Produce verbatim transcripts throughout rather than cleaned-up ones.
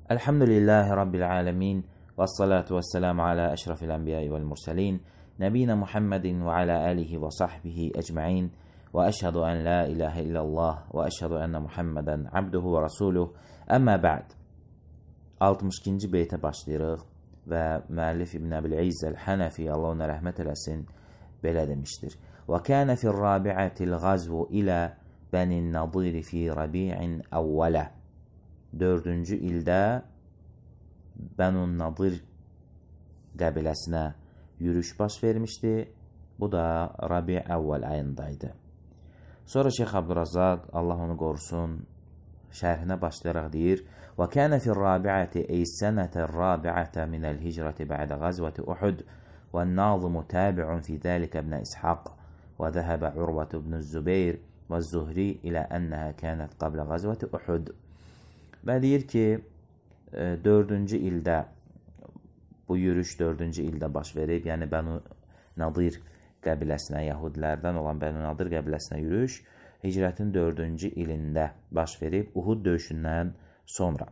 Elhamdülillahi Rabbil alemin. Vessalatu vesselamu ala eşrafil enbiyai vel murselin. Nebina Muhammedin ve ala alihi ve sahbihi ecma'in. Ve eşhedü en la ilahe illallah ve eşhedü enne Muhammeden abduhu ve rasuluh. Əmmə ba'd. altmış ikinci beytə başlayırıq və müəllif İbn Əbil İzz el-Hənəfi, Allah ona rəhmət eləsin, belə demişdir. Və kənə fir-rabi'atil gazvu ilə bənin nadiri fi rabi'in əvvələ. Dördüncü ildə Bənun Nadir qəbiləsinə yürüş baş vermişdi. Bu da Rabi əvvəl ayındaydı. Sonra Şeyx Abdurrazzaq, Allah onu qorusun, şərhinə başlayaraq deyir: "Və kənə fir-rabi'ati ey sənətər-rabi'ata minəl-hicrati ba'də qazvati Uhud və an-nazimu tabi'un fi zəlikə ibn İshaq və zəhəbə Urvatu ibn Zübeyr və Zuhri ilə ənəhə kənət qablə qazvati Uhud." Və deyir ki, dördüncü ildə, bu yürüş dördüncü ildə baş verib, yəni Bənu Nadir qəbiləsinə, Yahudilərdən olan Bənu Nadir qəbiləsinə yürüş hicrətin dördüncü ilində baş verib, Uhud döyüşündən sonra.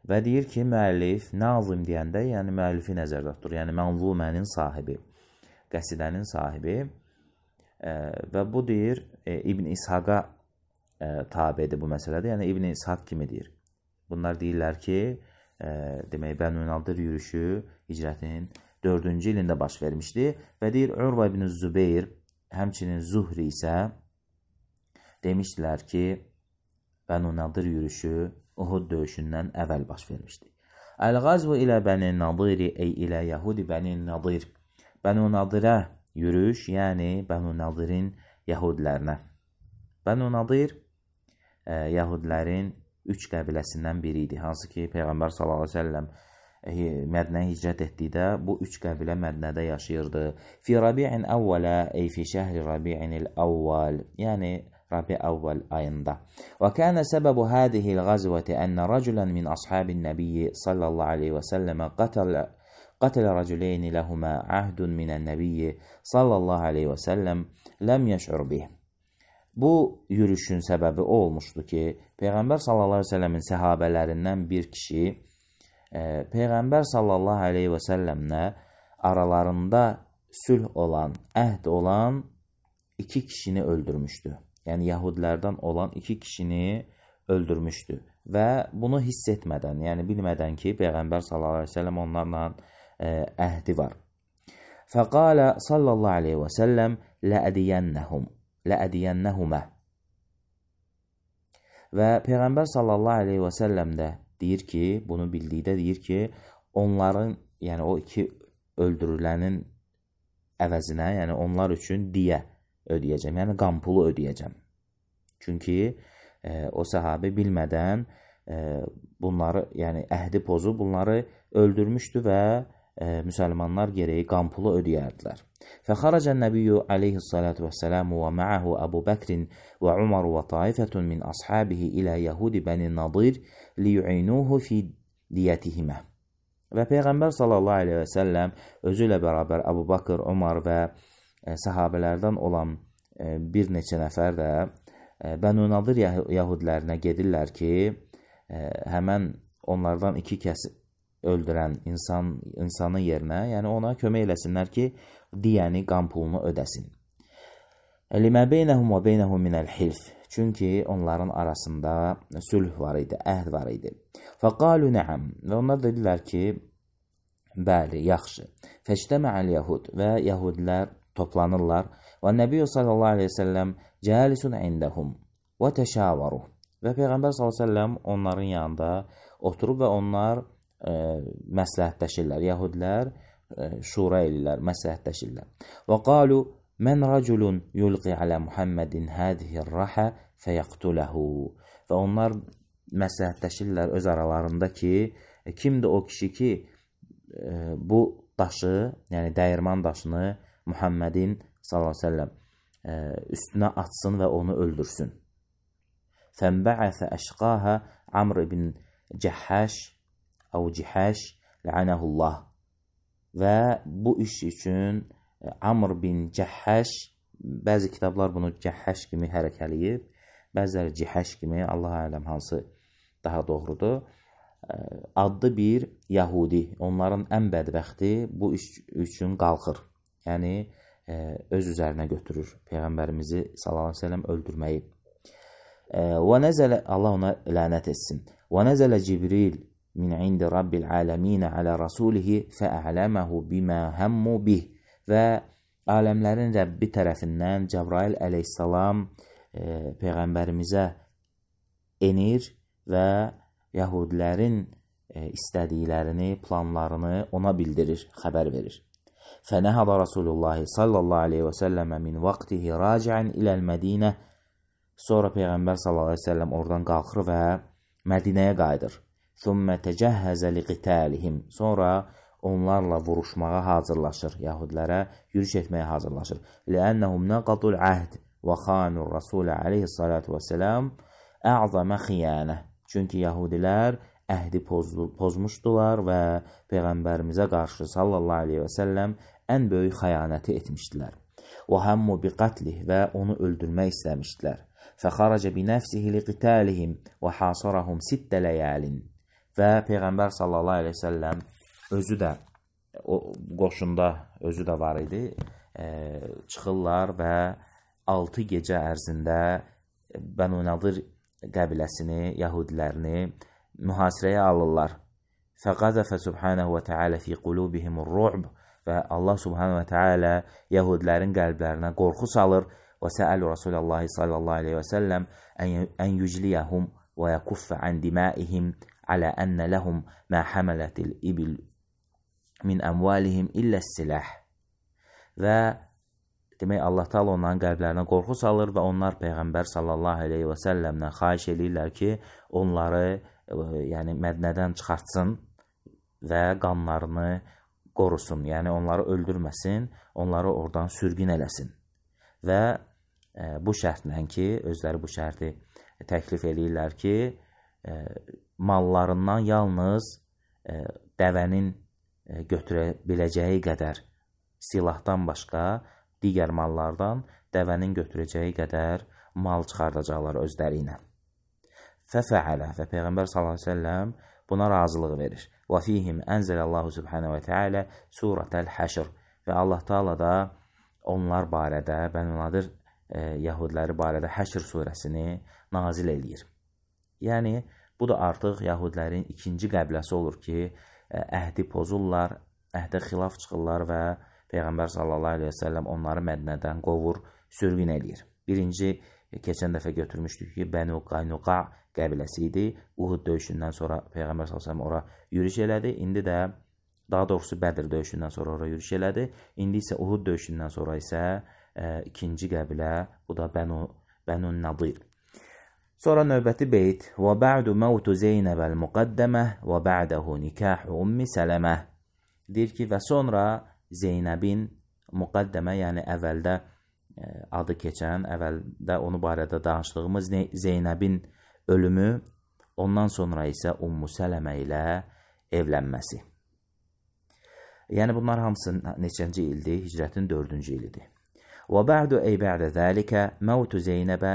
Və deyir ki, müəllif, nazim deyəndə, yəni müəllifi nəzərdə tutur, yəni mənzumənin sahibi, qəsidənin sahibi və bu deyir, İbn İshaqa tabidir bu məsələdə, yəni İbn İshaq kimi deyir. Bunlar deyirlər ki, e, demək, Bənu Nadir yürüşü hicrətin dördüncü ilində baş vermişdi və deyir, Urva ibn Zübeyr, həmçinin Zuhri isə demişdilər ki, Bənu Nadir yürüşü Uhud döyüşündən əvvəl baş vermişdi. Əl-Qazvu ilə Bəni Nadiri ey ilə Yahudi Bəni Nadir. Bənu Nadirə yürüş, yəni Bənu Nadirin Yahudilərinə. Bənu Nadir Yahudilərin üç qəbiləsindən biri idi. Hansı ki, Peyğəmbər sallallahu əleyhi və səlləm Mədinəyə hicrət etdikdə bu üç qəbilə Mədinədə yaşayırdı. Fi Rabi'in əvvələ ey fi şəhri Rabi'inil əvvəl, yəni Rabi əvvəl ayında. Və kənə səbəbu hədihil qazvəti ənə rəculən min ashabin nəbiyyi sallallahu aleyhi və səlləmə qatələ qatələ rəculeyni ləhumə əhdun minən nəbiyyi sallallahu aleyhi və səlləm ləm yəş'ur bih. Bu yürüşün səbəbi o olmuşdu ki, Peyğəmbər sallallahu aleyhi və səlləmin səhabələrindən bir kişi e, Peyğəmbər sallallahu aleyhi və səlləmlə aralarında sülh olan, əhd olan iki kişini öldürmüşdü. Yəni, Yahudilərdən olan iki kişini öldürmüşdü və bunu hiss etmədən, yəni bilmədən ki, Peyğəmbər sallallahu aleyhi və səlləm onlarla e, əhdi var. Fəqalə sallallahu aleyhi və səlləm ləədiyənnəhum Ləədiyənnəhumə. Və Peyğəmbər sallallahu aleyhi və səlləm də deyir ki, bunu bildikdə deyir ki, onların, yəni o iki öldürülənin əvəzinə, yəni onlar üçün diyə ödəyəcəm, yəni qan pulu ödəyəcəm. Çünki e, o səhabi bilmədən e, bunları, yəni əhdi pozub bunları öldürmüşdü və e, müsəlmanlar gərəyi qan pulu ödəyərdilər. فخرج النبي عليه الصلاة والسلام ومعه أبو بكر وعمر وطائفة من أصحابه إلى يهود بني النضير ليعينوه في diyətihimə. Və Peyğəmbər sallallahu aleyhi və səlləm özü ilə bərabər Əbu Bakır, Umar və e, sahabələrdən olan e, bir neçə nəfər də e, Bənu Nadir Yahudilərinə gedirlər ki, e, həmən onlardan iki kəs öldürən insan, insanın yerinə, yəni ona kömək eləsinlər ki, diyəni, qan pulunu ödəsin. Limə beynəhum və beynəhum minəl hilf. Çünki onların arasında sülh var idi, əhd var idi. Fəqalu nəəm. Və onlar dedilər ki, bəli, yaxşı. Fəştəmə'əl yahud. Və yahudilər toplanırlar. Və Nəbiyyə sallallahu aleyhi və səlləm cəlisun indəhum və təşavaruh. Və Peyğəmbər sallallahu aleyhi və səlləm onların yanında oturub və onlar e, məsləhətləşirlər. Yahudilər şura elirlər, məsləhətləşirlər. Və qalu, mən rəculun yulqi alə Muhammedin hədihir rəhə fəyəqtuləhu. Və onlar məsləhətləşirlər öz aralarında ki, kimdir o kişi ki, bu daşı, yəni dəyirman daşını Muhammedin sallallahu aleyhi ve səlləm üstünə atsın və onu öldürsün. Fənbə'əfə əşqahə Amr ibn Cəhəş əv Cihəş lə'ənəhullah. Və bu iş üçün Amr bin Cəhəş, bəzi kitablar bunu Cəhəş kimi hərəkələyib, bəziləri Cihəş kimi, Allah aləm hansı daha doğrudur. adlı bir Yahudi, onların ən bədbəxti bu iş üçün qalxır. Yəni, öz üzərinə götürür Peyğəmbərimizi sallallahu əleyhi və səlləm öldürməyi. Və nəzələ, Allah ona lənət etsin. Və nəzələ Cibril min indi Rabbil aləminə alə rasulihi fə'ələməhu bimə həmmu bih. Və aləmlərin Rəbbi tərəfindən Cəbrail əleyhissalam e, Peyğəmbərimizə enir və Yahudilərin e, istədiklərini, planlarını ona bildirir, xəbər verir. Fənəhədə Rasulullah sallallahu aleyhi və səlləmə min vaxtihi raciən iləl Mədinə. Sonra Peyğəmbər sallallahu aleyhi və səlləm oradan qalxır və Mədinəyə qayıdır. Thumma təcəhhəzə liqitəlihim. Sonra onlarla vuruşmağa hazırlaşır, Yahudilərə yürüş etməyə hazırlaşır. Ləənnəhum nəqadul əhd və xanur Rasulə aleyhissalatu və səlam ə'zəmə xiyanə. Çünki Yahudilər əhdi pozdu, pozmuşdular və Peyğəmbərimizə qarşı sallallahu aleyhi və səlləm ən böyük xəyanəti etmişdilər. Və həmmu bi qatlih və onu öldürmək istəmişdilər. Fəxarəcə bi nəfsihi liqitalihim və hasarahum sittə ləyəlin. Və Peyğəmbər sallallahu aleyhi və səlləm özü də, o qoşunda özü də var idi, e, çıxırlar və altı gecə ərzində Bənu Nadir qəbiləsini, Yahudilərini mühasirəyə alırlar. Fəqazəfə subhanəhu və teala fi qulubihimur ru'b. Və Allah subhanahu və teala Yahudilərin qəlblərinə qorxu salır. Və səəlu Rasulullah sallallahu aleyhi və səlləm ən yücliyəhum və yəkuffə ən dimaihim alə ənə ləhum mə həmələtil ibil min əmvalihim illə silah. Və demək, Allah Taala onların qəlblərinə qorxu salır və onlar Peyğəmbər sallallahu aleyhi və səlləmdən xahiş edirlər ki, onları yəni Mədinədən çıxartsın və qanlarını qorusun. Yəni onları öldürməsin, onları oradan sürgün eləsin. Və e, bu şərtlə ki, özləri bu şərti təklif edirlər ki, e, mallarından yalnız e, dəvənin e, götürə biləcəyi qədər silahdan başqa digər mallardan dəvənin götürəcəyi qədər mal çıxardacaqlar özləri ilə. Fəfəalə və Peyğəmbər sallallahu əleyhi və səlləm buna razılıq verir. Və fihim ənzəlallahu subhanahu və teala surətəl Həşr. Və Allah Taala da onlar barədə, Bənu Nadir e, Yahudiləri barədə Həşr surəsini nazil eləyir. Yəni, bu da artıq Yahudilərin ikinci qəbiləsi olur ki, e, əhdi pozurlar, əhdə xilaf çıxırlar və Peyğəmbər sallallahu aleyhi və səlləm onları Mədinədən qovur, sürgün eləyir. Birinci, keçən dəfə götürmüşdük ki, Bənu Qaynuqa qəbiləsi idi. Uhud döyüşündən sonra Peyğəmbər sallallahu aleyhi və səlləm ora yürüş elədi. İndi də, daha doğrusu Bədir döyüşündən sonra ora yürüş elədi. İndi isə Uhud döyüşündən sonra isə e, ikinci qəbilə, bu da Bənu, Bənu Nadir. Sonra növbəti beyt. Və bə'du məvtu Zeynəbəl müqəddəmə və bə'dəhu nikahu ummi sələmə. Deyir ki, və sonra Zeynəbin müqəddəmə, yəni əvvəldə e, adı keçən, əvvəldə onu barədə danışdığımız Zeynəbin ölümü, ondan sonra isə Ummu Sələmə ilə evlənməsi. Yəni bunlar hamısı neçənci ildir? Hicrətin dördüncü ilidir. Və bə'du ey bə'də zəlikə məvtu Zeynəbə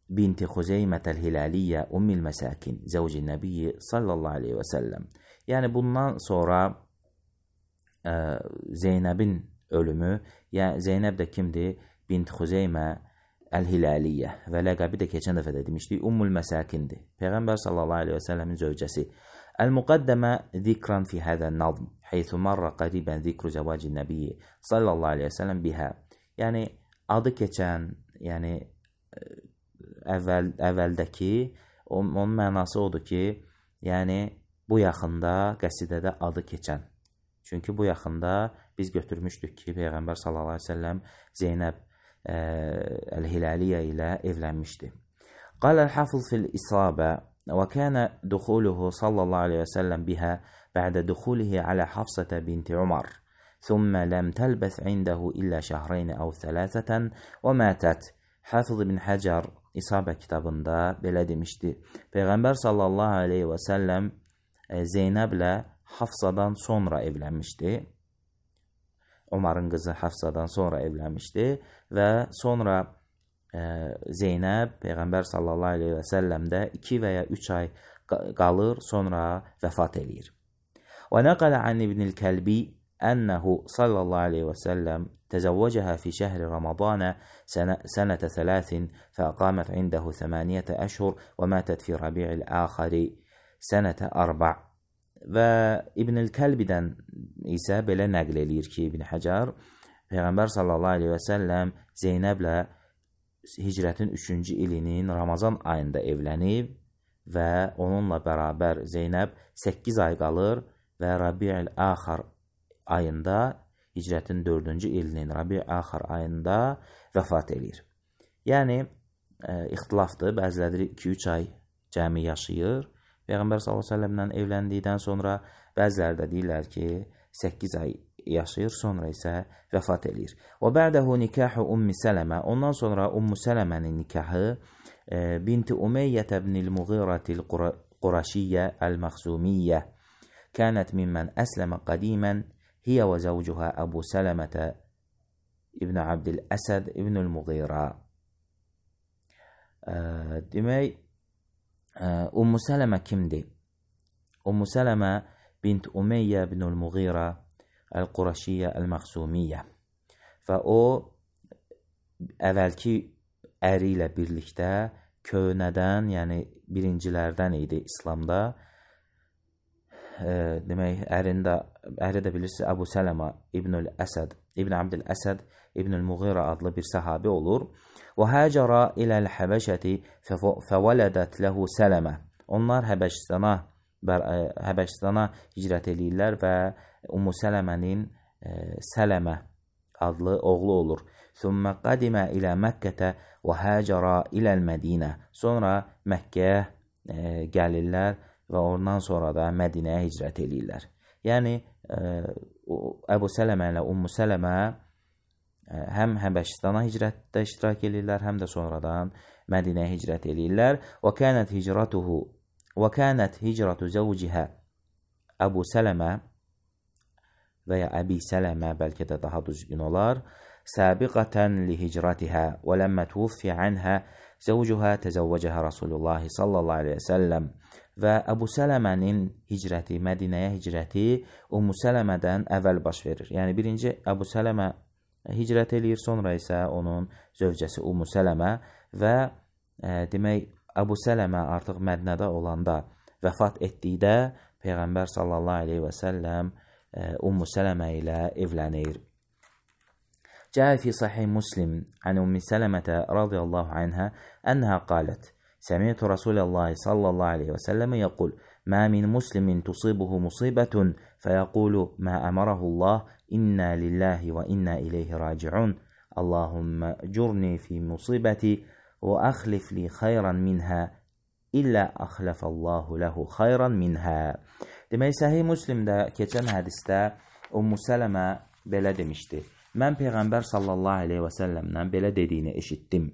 binti Xuzeymətəl Hilaliyyə ummil məsəkin zəvci nəbiyyi sallallahu aleyhi və səlləm. Yəni bundan sonra ə, Zeynəbin ölümü, yəni Zeynəb də kimdir? Bint Xuzeymə Əl-Hilaliyyə və ləqəbi də keçən dəfə də demişdik, Ummul Məsakindir. Peyğəmbər sallallahu aleyhi və səlləmin zövcəsi. Əl-Muqaddəmə zikran fi hədən nazm, heythu marra qaribən zikru zəvacin nəbiyyi sallallahu aleyhi və səlləm bihə. Yəni, adı keçən, yəni əvvəl, əvvəldəki, onun mənası odur ki, yəni bu yaxında qəsidədə adı keçən. Çünki bu yaxında biz götürmüşdük ki, Peyğəmbər sallallahu aleyhi və səlləm Zeynəb Əl-Hilaliyyə ilə evlənmişdi. Qaləl hafız fil isabə və kənə duxuluhu sallallahu aleyhi və səlləm bihə bə'də duxulihi alə Hafsətə binti Umar. Thumma ləm təlbəs indəhu illə şəhreyni əv thələthətən və mətət. Hafız ibn Həcər İsabə kitabında belə demişdi. Peyğəmbər sallallahu aleyhi və səlləm Zeynəblə Hafsadan sonra evlənmişdi. Umarın qızı Hafsadan sonra evlənmişdi və sonra e, Zeynəb Peyğəmbər sallallahu aleyhi və səlləmdə iki və ya üç ay qalır, sonra vəfat eləyir. Və nəqələ an İbnül Kəlbi ənəhu sallallahu aleyhi və səlləm təzəvvəcəhə fi şəhri Ramazana sənətə thələtin fəqamət indəhu thəməniyyətə əşhur və mətət fi rabi'il əxəri sənətə arba'. Və İbnül Kəlbidən isə belə nəql eləyir ki, İbn Həcər Peyğəmbər sallallahu aleyhi və səlləm Zeynəblə hicrətin üçüncü ilinin Ramazan ayında evlənib və onunla bərabər Zeynəb səkkiz ay qalır və Rabi'il Əxər ayında, hicrətin dördüncü ilinin Rabi'il Əxər ayında vəfat edir. Yəni, e, ixtilafdır, bəziləri iki üç ay cəmi yaşayır Peyğəmbər sallallahu əleyhi və səlləmlə evləndikdən sonra, bəziləri də deyirlər ki, səkkiz ay yaşayır, sonra isə vəfat edir. Və bə'dəhu nikahu Ummi Sələmə, ondan sonra Ummu Sələmənin nikahı e, binti Umeyyət ibnil Muğirətil Quraşiyyə Əl-Məxzumiyyə kənət mimmən əsləmə qədimən hiyə və zəvcuhə Əbu Sələmətə İbn Abdil Əsəd İbnül Muğirə. E, demək, Ummu Sələmə kimdir? Ummu Sələmə bint Umeyyə ibnül Muğirə Əl-Quraşiyyə Əl-Məxzumiyyə və o əvvəlki əri ilə birlikdə köhnədən, yəni birincilərdən idi İslamda. E, demək, ərində, əri də bilirsiniz, Əbu Sələmə İbnül Əsəd, İbn Abdil Əsəd İbnül Muğirə adlı bir səhabi olur. Və həcərə iləl-Həbəşəti fəvələdət ləhu Sələmə. Onlar Həbəşistana, Həbəşistana hicrət edirlər və Ummu Sələmənin e, Sələmə adlı oğlu olur. Thumma qadimə ilə Məkkətə və həcərə iləl-Mədinə. Sonra Məkkəyə e, gəlirlər və ondan sonra da Mədinəyə hicrət edirlər. Yəni, e, Əbu Sələmə ilə Ummu Sələmə həm Həbəşistana hicrətdə iştirak edirlər, həm də sonradan Mədinəyə hicrət edirlər. Və kənət hicratuhu və kənət hicratu zəvcihə Əbu Sələmə və ya Əbi Sələmə, bəlkə də daha düzgün olar, səbiqətən li hicratihə və ləmmə tuvfi anhə zəvcuhə təzəvvəcəhə Rasulullah sallallahu aleyhi və səlləm. Və Əbu Sələmənin hicrəti, Mədinəyə hicrəti Ummu Sələmədən əvvəl baş verir. Yəni, birinci Əbu Sələmə hicrət eləyir, sonra isə onun zövcəsi Ummu Sələmə və e, demək, Əbu Sələmə artıq Mədinədə olanda vəfat etdikdə Peyğəmbər sallallahu aleyhi və səlləm e, Ummu Sələmə ilə evlənir. Cəə fi sahih Muslim an Ummi Sələmətə radiyallahu anhə ənhə qalət Səmiyyətü Rasuləllahi sallallahu aleyhi və səlləmə yəqul Mə min muslimin tusibuhu musibətun fəyəqulu mə əmərəhullah İnnə lillahi və innə ileyhi raciun Allahümmə cürni fi musibəti və əxlif li xayran minhə illə əxləfəllahu ləhu xayran minhə. Demək, Səhih Müslimdə keçən hədisdə Ummu Sələmə belə demişdi. Mən Peyğəmbər sallallahu aleyhi və səlləmdən belə dediyini eşitdim.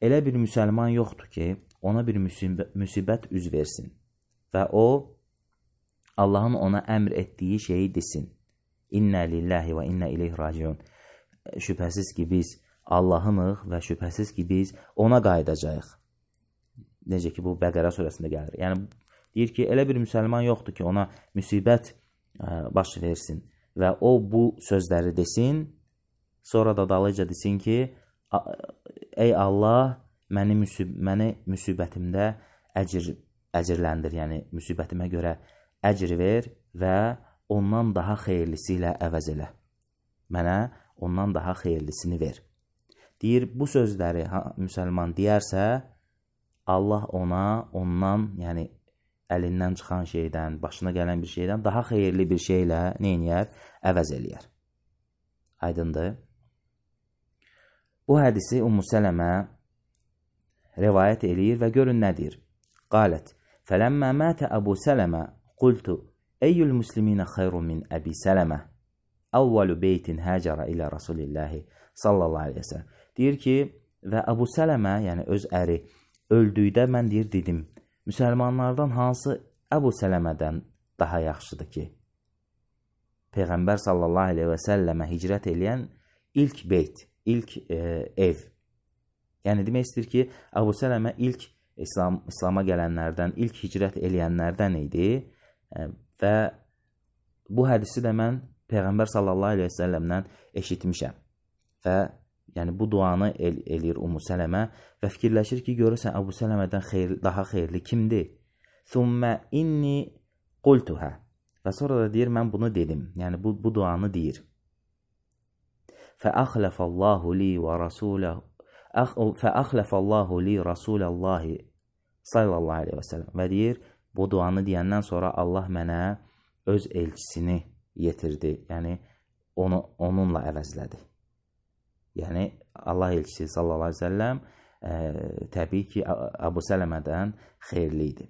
Elə bir müsəlman yoxdur ki, ona bir müsibət üz versin və o, Allahın ona əmr etdiyi şeyi desin. İnnə lillahi və innə ileyhi raciun. Şübhəsiz ki, biz Allahınıq və şübhəsiz ki, biz ona qayıdacağıq. Necə ki, bu Bəqərə surəsində gəlir. Yəni, deyir ki, elə bir müsəlman yoxdur ki, ona müsibət ə, baş versin və o bu sözləri desin, sonra da dalıca desin ki, ey Allah, məni, müsib məni müsibətimdə əcr, əcrləndir, yəni müsibətimə görə əcr ver və ondan daha xeyirlisi ilə əvəz elə. Mənə ondan daha xeyirlisini ver. Deyir, bu sözləri müsəlman deyərsə, Allah ona, ondan, yəni əlindən çıxan şeydən, başına gələn bir şeydən daha xeyirli bir şeylə neyniyər? Əvəz eləyər. Aydındır. Bu hədisi Ummu Sələmə rivayət eləyir və görün nədir? Qalət, fələmmə mətə Əbu Sələmə qultu, eyyül müsliminə xeyrun min Əbi Sələmə, əvvəlu beytin həcərə ilə Rasulillahi sallallahu aleyhi və səlləm. Deyir ki, və Əbu Sələmə, yəni öz əri, öldükdə mən deyir, dedim, müsəlmanlardan hansı Əbu Sələmədən daha yaxşıdır ki, Peyğəmbər sallallahu aleyhi və səlləmə hicrət eləyən ilk beyt, ilk e, ev. Yəni, demək istəyir ki, Əbu Sələmə ilk İslam, İslama gələnlərdən, ilk hicrət eləyənlərdən idi və bu hədisi də mən Peyğəmbər sallallahu aleyhi və səlləmdən eşitmişəm və yəni bu duanı el, eləyir Ummu Sələmə və fikirləşir ki, görürsən Əbu Sələmədən xeyir, daha xeyirli kimdir? Thumma inni qultuha. Və sonra da deyir, mən bunu dedim. Yəni bu, bu duanı deyir. Fəəxləfəllahu li və rasuləhu Fəəxləfəllahu li rasuləllahi sallallahu aleyhi və səlləm. Və deyir, bu duanı deyəndən sonra Allah mənə öz elçisini yetirdi. Yəni onu onunla əvəzlədi. Yəni Allah elçisi sallallahu aleyhi və səlləm ə, təbii ki, Əbu Sələmədən xeyirli idi.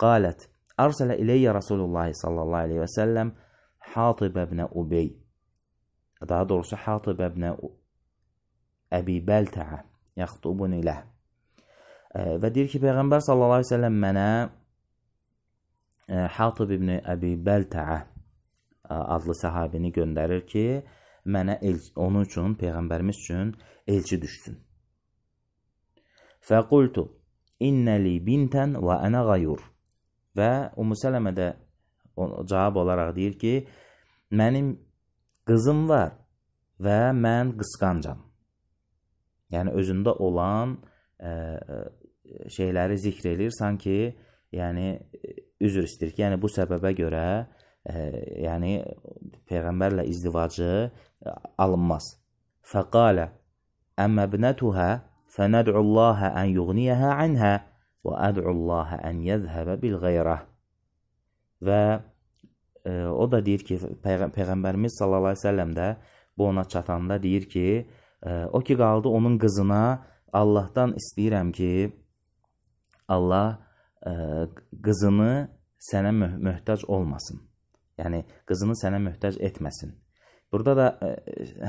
Qalət Arsələ iləyyə Rasulullah sallallahu aleyhi və səlləm Hatib ibn Ubey. Daha doğrusu Hatib ibn Əbi Bəltəə yaxtubun ilə. Və deyir ki, Peyğəmbər sallallahu aleyhi və səlləm mənə Hatib ibn Əbi Bəltəə adlı səhabini göndərir ki, mənə elçi, onun üçün, Peyğəmbərimiz üçün elçi düşsün. Fəqultu innəli bintən və ənə qayur. Və Ummu Sələmə də cavab olaraq deyir ki, mənim qızım var və mən qısqancam. Yəni özündə olan ə, şeyləri zikr edir, sanki yəni üzr istəyir ki, yəni bu səbəbə görə ə, yəni Peyğəmbərlə izdivacı ə, alınmaz. Fəqalə əmmə bnətuhə fənəd'ullaha ən yuğniyəhə anhə və əd'ullaha ən yəzhəbə bil qeyrə. Və e, o da deyir ki, Peyğ Peyğəmbərimiz sallallahu aleyhi ve səlləm də bu ona çatanda deyir ki, e, o ki qaldı onun qızına Allahdan istəyirəm ki, Allah e, qızını sənə mö möhtac olmasın. Yəni, qızını sənə möhtac etməsin. Burada da e,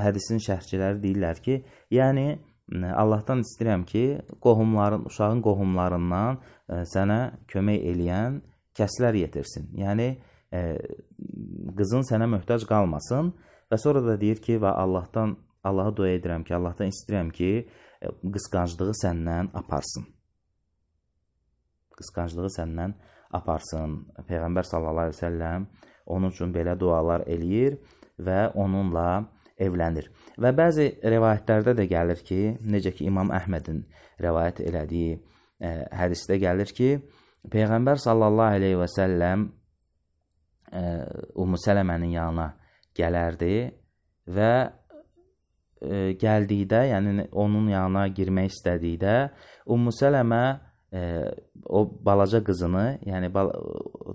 hədisin şərhçiləri deyirlər ki, yəni, Allahdan istəyirəm ki, qohumların, uşağın qohumlarından ə, sənə kömək eləyən kəslər yetirsin. Yəni, ə, qızın sənə möhtac qalmasın və sonra da deyir ki, və Allahdan, Allaha dua edirəm ki, Allahdan istəyirəm ki, ə, qısqanclığı səndən aparsın. Qısqanclığı səndən aparsın. Peyğəmbər sallallahu aleyhi və səlləm onun üçün belə dualar eləyir və onunla evlənir. Və bəzi rəvayətlərdə də gəlir ki, necə ki İmam Əhmədin rəvayət elədiyi ə, hədisdə gəlir ki, Peyğəmbər sallallahu aleyhi və səlləm ə, Ummu Sələmənin yanına gələrdi və ə, gəldikdə, yəni onun yanına girmək istədikdə, Ummu Sələmə ə, o balaca qızını, yəni bal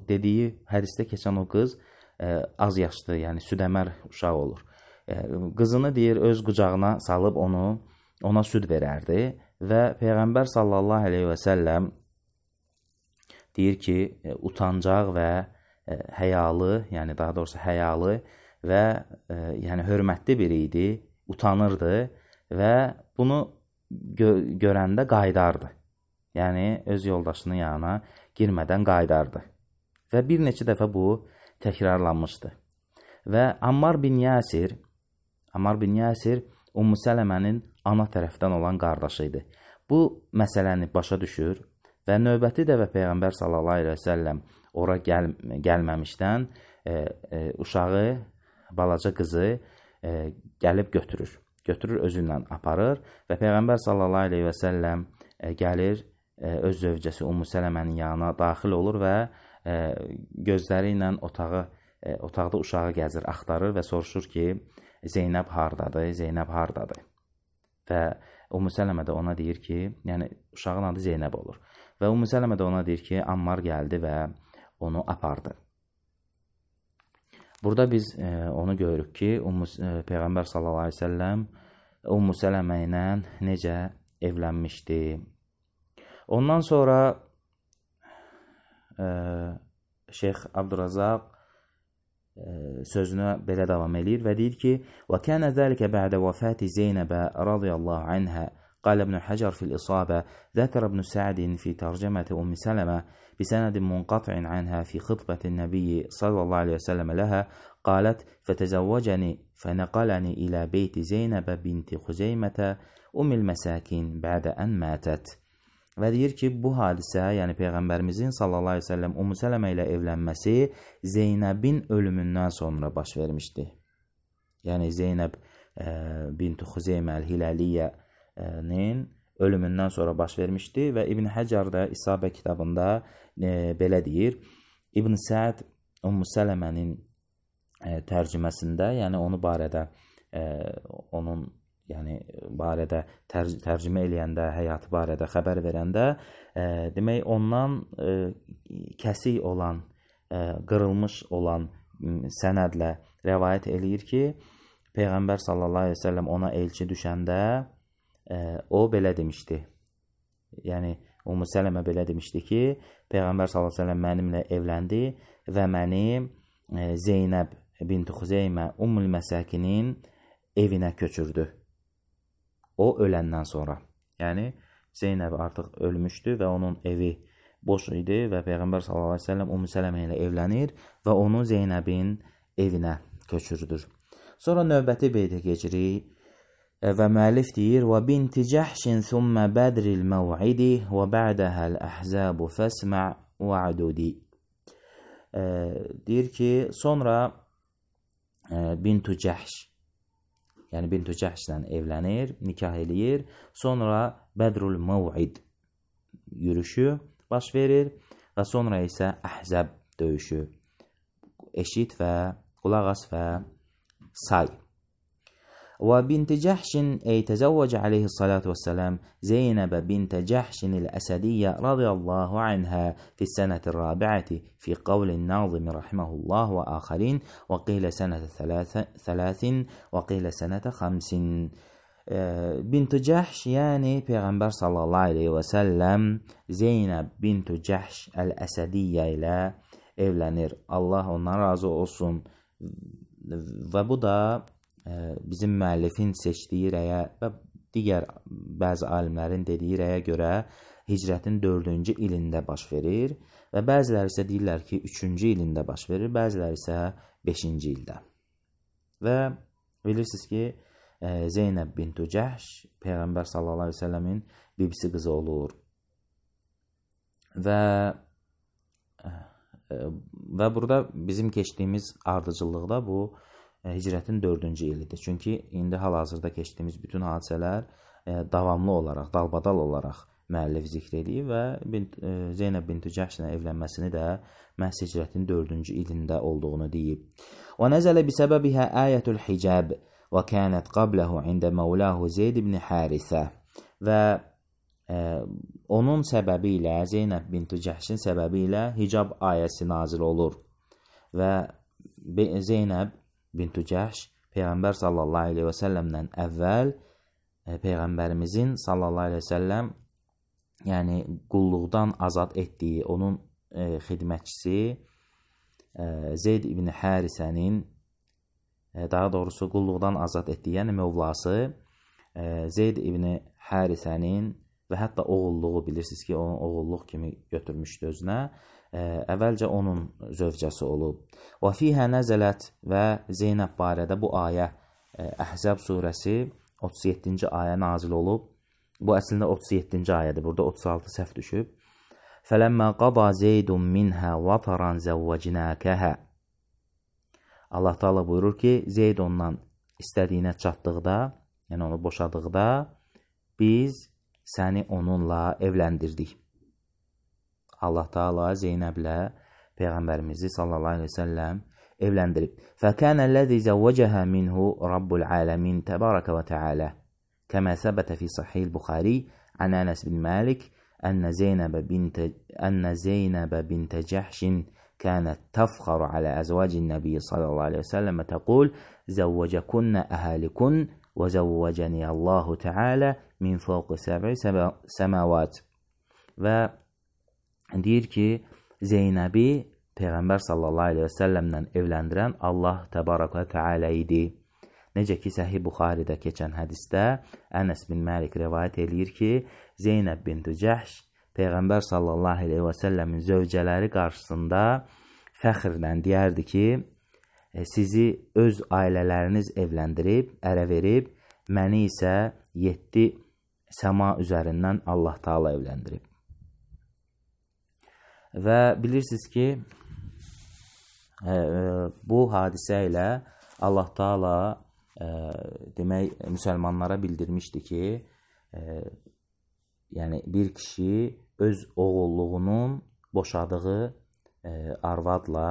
dediyi hədisdə keçən o qız ə, az yaşlı, yəni südəmər uşaq olur. Qızını deyir, öz qucağına salıb onu, ona süd verərdi və Peyğəmbər sallallahu aleyhi və səlləm deyir ki, utancaq və həyalı, yəni daha doğrusu həyalı və yəni hörmətli biri idi, utanırdı və bunu gö görəndə qaydardı. Yəni öz yoldaşının yanına girmədən qaydardı. Və bir neçə dəfə bu təkrarlanmışdı. Və Ammar bin Yasir Ammar bin Yasir Ummu Sələmənin ana tərəfdən olan qardaşı idi. Bu məsələni başa düşür və növbəti dəfə Peyğəmbər sallallahu aleyhi və səlləm ora gəl gəlməmişdən e, e, uşağı, balaca qızı e, gəlib götürür. Götürür, özündən aparır və Peyğəmbər sallallahu aleyhi və səlləm e, gəlir, e, öz zövcəsi Ummu Sələmənin yanına daxil olur və e, gözləri ilə otağı, e, otaqda uşağı gəzir, axtarır və soruşur ki, Zeynəb hardadır, Zeynəb hardadır. Və Ummu Sələmə də ona deyir ki, yəni uşağın adı Zeynəb olur. Və Ummu Sələmə də ona deyir ki, Ammar gəldi və onu apardı. Burada biz e, onu görürük ki, Ummu, e, Peyğəmbər sallallahu aleyhi ve səlləm Ummu Sələmə ilə necə evlənmişdi. Ondan sonra e, Şeyx Abdurazaq sözünə belə davam edir və deyir ki, وَكَانَ ذَلِكَ بَعْدَ وَفَاتِ زَيْنَبَ رضي الله عنها قال ابن حجر في الإصابة ذكر ابن سعد في ترجمة أم سلمة بسند منقطع عنها في خطبة النبي صلى الله عليه وسلم لها قالت فتزوجني فنقلني إلى بيت زينب بنت خزيمة أم المساكين بعد أن ماتت. Və deyir ki, bu hadisə, yəni Peyğəmbərimizin sallallahu əleyhi və səlləm Ümmü Sələmə ilə evlənməsi Zeynəbin ölümündən sonra baş vermişdi. Yəni Zeynəb e, bint Xuzeymə el-Hilaliyyənin ölümündən sonra baş vermişdi və İbn Həcər də İsabə kitabında e, belə deyir. İbn Səd Ümmü Sələmənin e, tərcüməsində, yəni onu barədə e, onun yəni barədə tərc tərcümə eləyəndə, həyatı barədə xəbər verəndə, e, demək ondan e, kəsik olan, e, qırılmış olan sənədlə rəvayət eləyir ki, Peyğəmbər sallallahu əleyhi və səlləm ona elçi düşəndə e, o belə demişdi. Yəni Ümmü Sələmə belə demişdi ki, Peyğəmbər sallallahu əleyhi və səlləm mənimlə evləndi və məni e, Zeynəb bint Xuzeymə Ümmül Məsakinin evinə köçürdü. O öləndən sonra. Yəni Zeynəb artıq ölmüşdü və onun evi boş idi və Peyğəmbər sallallahu əleyhi və səlləm Ümmü Sələmə ilə evlənir və onu Zeynəbin evinə köçürüdür. Sonra növbəti beytə keçirik və müəllif deyir: "Və binti Cəhşin thumma badril maw'idi və ba'daha al-ahzab fasma' wa'dudi." E, deyir ki, sonra e, bintu Cəhş, yəni bintu Cəhşlə evlənir, nikah eləyir. Sonra Bədrul Mav'id yürüşü baş verir və sonra isə Əhzəb döyüşü. Eşit və qulaq as və say. وبنت جحش أي تزوج عليه الصلاة والسلام زينب بنت جحش الأسدية رضي الله عنها في السنة الرابعة في قول الناظم رحمه الله وآخرين، وقيل سنة ثلاث, ثلاث وقيل سنة خمس. Bint Cəhş, yəni Peyğəmbər sallallahu aleyhi və səlləm Zeynəb bint Cəhş əl-Əsədiyyə ilə evlənir. Allah ondan razı olsun. Və bu da bizim müəllifin seçdiyi rəyə və digər bəzi alimlərin dediyi rəyə görə hicrətin dördüncü ilində baş verir və bəziləri isə deyirlər ki, üçüncü ilində baş verir, bəziləri isə beşinci ildə. Və bilirsiniz ki, Zeynəb bintu Cəhş Peyğəmbər sallallahu aleyhi ve səlləmin bibisi qızı olur. Və və burada bizim keçdiyimiz ardıcıllıqda bu hicrətin dördüncü ilidir. Çünki indi hal-hazırda keçdiyimiz bütün hadisələr davamlı olaraq, dalbadal olaraq müəllif zikr edir və Zeynəb bintu Cəhşlə evlənməsini də məhz hicrətin dördüncü ilində olduğunu deyib. Və nəzələ bisəbəbihə ayətul hicab və kənət qabləhu ində məvləhu Zeyd ibn Harisə. Və e, onun səbəbi ilə, Zeynəb bintu Cəhşin səbəbi ilə hicab ayəsi nazil olur. Və Zeynəb bintu Cəhş Peyğəmbər sallallahu aleyhi və səlləmdən əvvəl e, Peyğəmbərimizin sallallahu aleyhi və səlləm yəni qulluqdan azad etdiyi onun e, xidmətçisi e, Zeyd ibn Harisənin, daha doğrusu qulluqdan azad etdiyi, yəni mövlası Zeyd ibn Harisənin və hətta oğulluğu, bilirsiniz ki, onun oğulluq kimi götürmüşdü özünə, əvvəlcə onun zövcəsi olub. Və fihə nəzələt və Zeynəb barədə bu ayə Əhzəb surəsi otuz yeddinci ayə nazil olub. Bu əslində otuz yeddinci ayədir, burada otuz altı səhv düşüb. Fələmmə qada Zeydun minhə vataran zəvvəcnəkəhə. Allah Teala buyurur ki, Zeyd ondan istədiyinə çatdıqda, yəni onu boşadıqda, biz səni onunla evləndirdik. Allah Teala Zeynəblə Peyğəmbərimizi sallallahu aleyhi ve səlləm evləndirib. Fəkənəl-ləzi zəvvəcəhə minhu Rabbul aləmin təbarəkə və təalə. Kəmə səbətə fi sahih Buxari an Anas bin Malik ənə Zeynəbə bintə, ənə Zeynəbə bintə Cəhşin كانت تفخر على أزواج النبي صلى الله عليه وسلم تقول زوجكن أهالكن وزوجني الله تعالى من فوق سبع سماوات. Və deyir ki, Zeynəbi Peyğəmbər sallallahu aleyhi və səlləmlə evləndirən Allah təbarək və təalə idi. Necə ki, Səhih Buxaridə keçən hədisdə Ənəs bin Məlik rivayət eləyir ki, Zeynəb bintu Cəhş Peyğəmbər sallallahu aleyhi və səlləmin zövcələri qarşısında fəxrlə deyərdi ki, sizi öz ailələriniz evləndirib, ərə verib, məni isə yeddi səma üzərindən Allah Taala evləndirib. Və bilirsiniz ki, e, bu hadisə ilə Allah Taala e, demək müsəlmanlara bildirmişdi ki, e, yəni bir kişi öz oğulluğunun boşadığı e, arvadla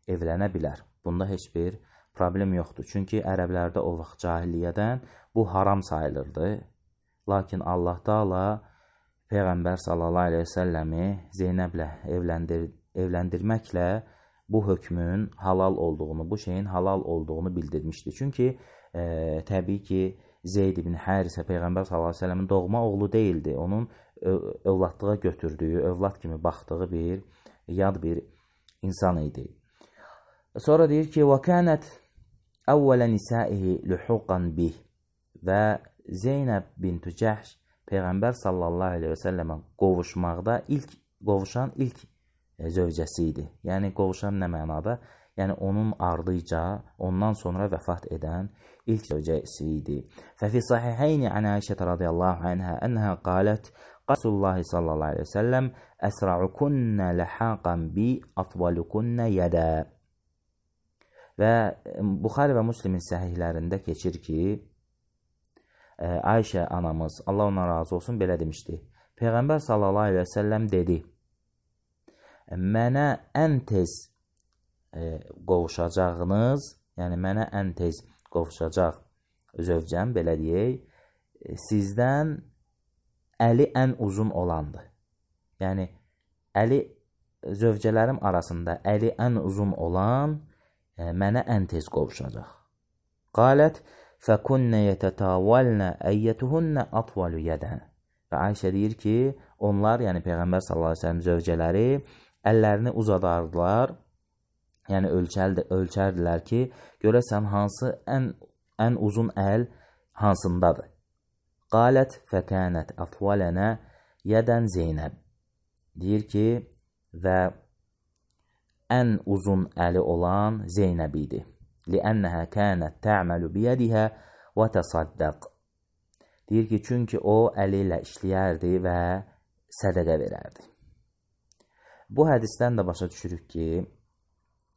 evlənə bilər. Bunda heç bir problem yoxdur. Çünki ərəblərdə o vaxt cahiliyyədən bu haram sayılırdı. Lakin Allah Taala Peyğəmbər sallallahu əleyhi və səlləmi Zeynəblə evləndir evləndirməklə bu hökmün halal olduğunu, bu şeyin halal olduğunu bildirmişdi. Çünki e, təbii ki, Zeyd ibn Harisə Peyğəmbər sallallahu əleyhi və səlləmin doğma oğlu deyildi. Onun övladlığa götürdüyü, övlad kimi baxdığı bir yad bir insan idi. Sonra deyir ki, وَكَانَتْ أَوَّلَ نِسَائِهِ لُحُقًا بِهِ və Zeynəb bint Cəhş Peyğəmbər sallallahu əleyhi və səlləmə qovuşmaqda ilk qovuşan ilk zövcəsi idi. Yəni qovuşan nə mənada? Yəni onun ardıca, ondan sonra vəfat edən ilk zövcəsi idi. Fəfi sahihayn an Aişə radiyallahu anha anha qalet Rasulullah sallallahu əleyhi və səlləm əsra'ukunna lahaqan bi atwalukunna yada. Və Buxari və Müslimin səhihlərində keçir ki, Ayşə anamız, Allah ona razı olsun, belə demişdi. Peyğəmbər sallallahu əleyhi və səlləm dedi, mənə ən tez e, qovuşacağınız, yəni mənə ən tez qovuşacaq zövcəm, belə deyək, sizdən əli ən uzun olandır. Yəni, əli zövcələrim arasında əli ən uzun olan e, mənə ən tez qovuşacaq. Qalət, فَكُنَّ يَتَتَاوَلْنَ əyyətuhunə atvalu yədən. Və Ayşə deyir ki, onlar, yəni Peyğəmbər sallallahu əleyhi və səlləm zövcələri əllərini uzadardılar, yəni ölçərdi, ölçərdilər ki, görəsən hansı ən, ən uzun əl hansındadır. Qalət fəkənət atvalənə yədən Zeynəb. Deyir ki, və ən uzun əli olan Zeynəb idi. لِأَنَّهَا كَانَتْ تَعْمَلُ بِيَدِهَا وَتَصَدَّقْ. Deyir ki, çünki o əli ilə işləyərdi və sədəqə verərdi. Bu hədisdən də başa düşürük ki,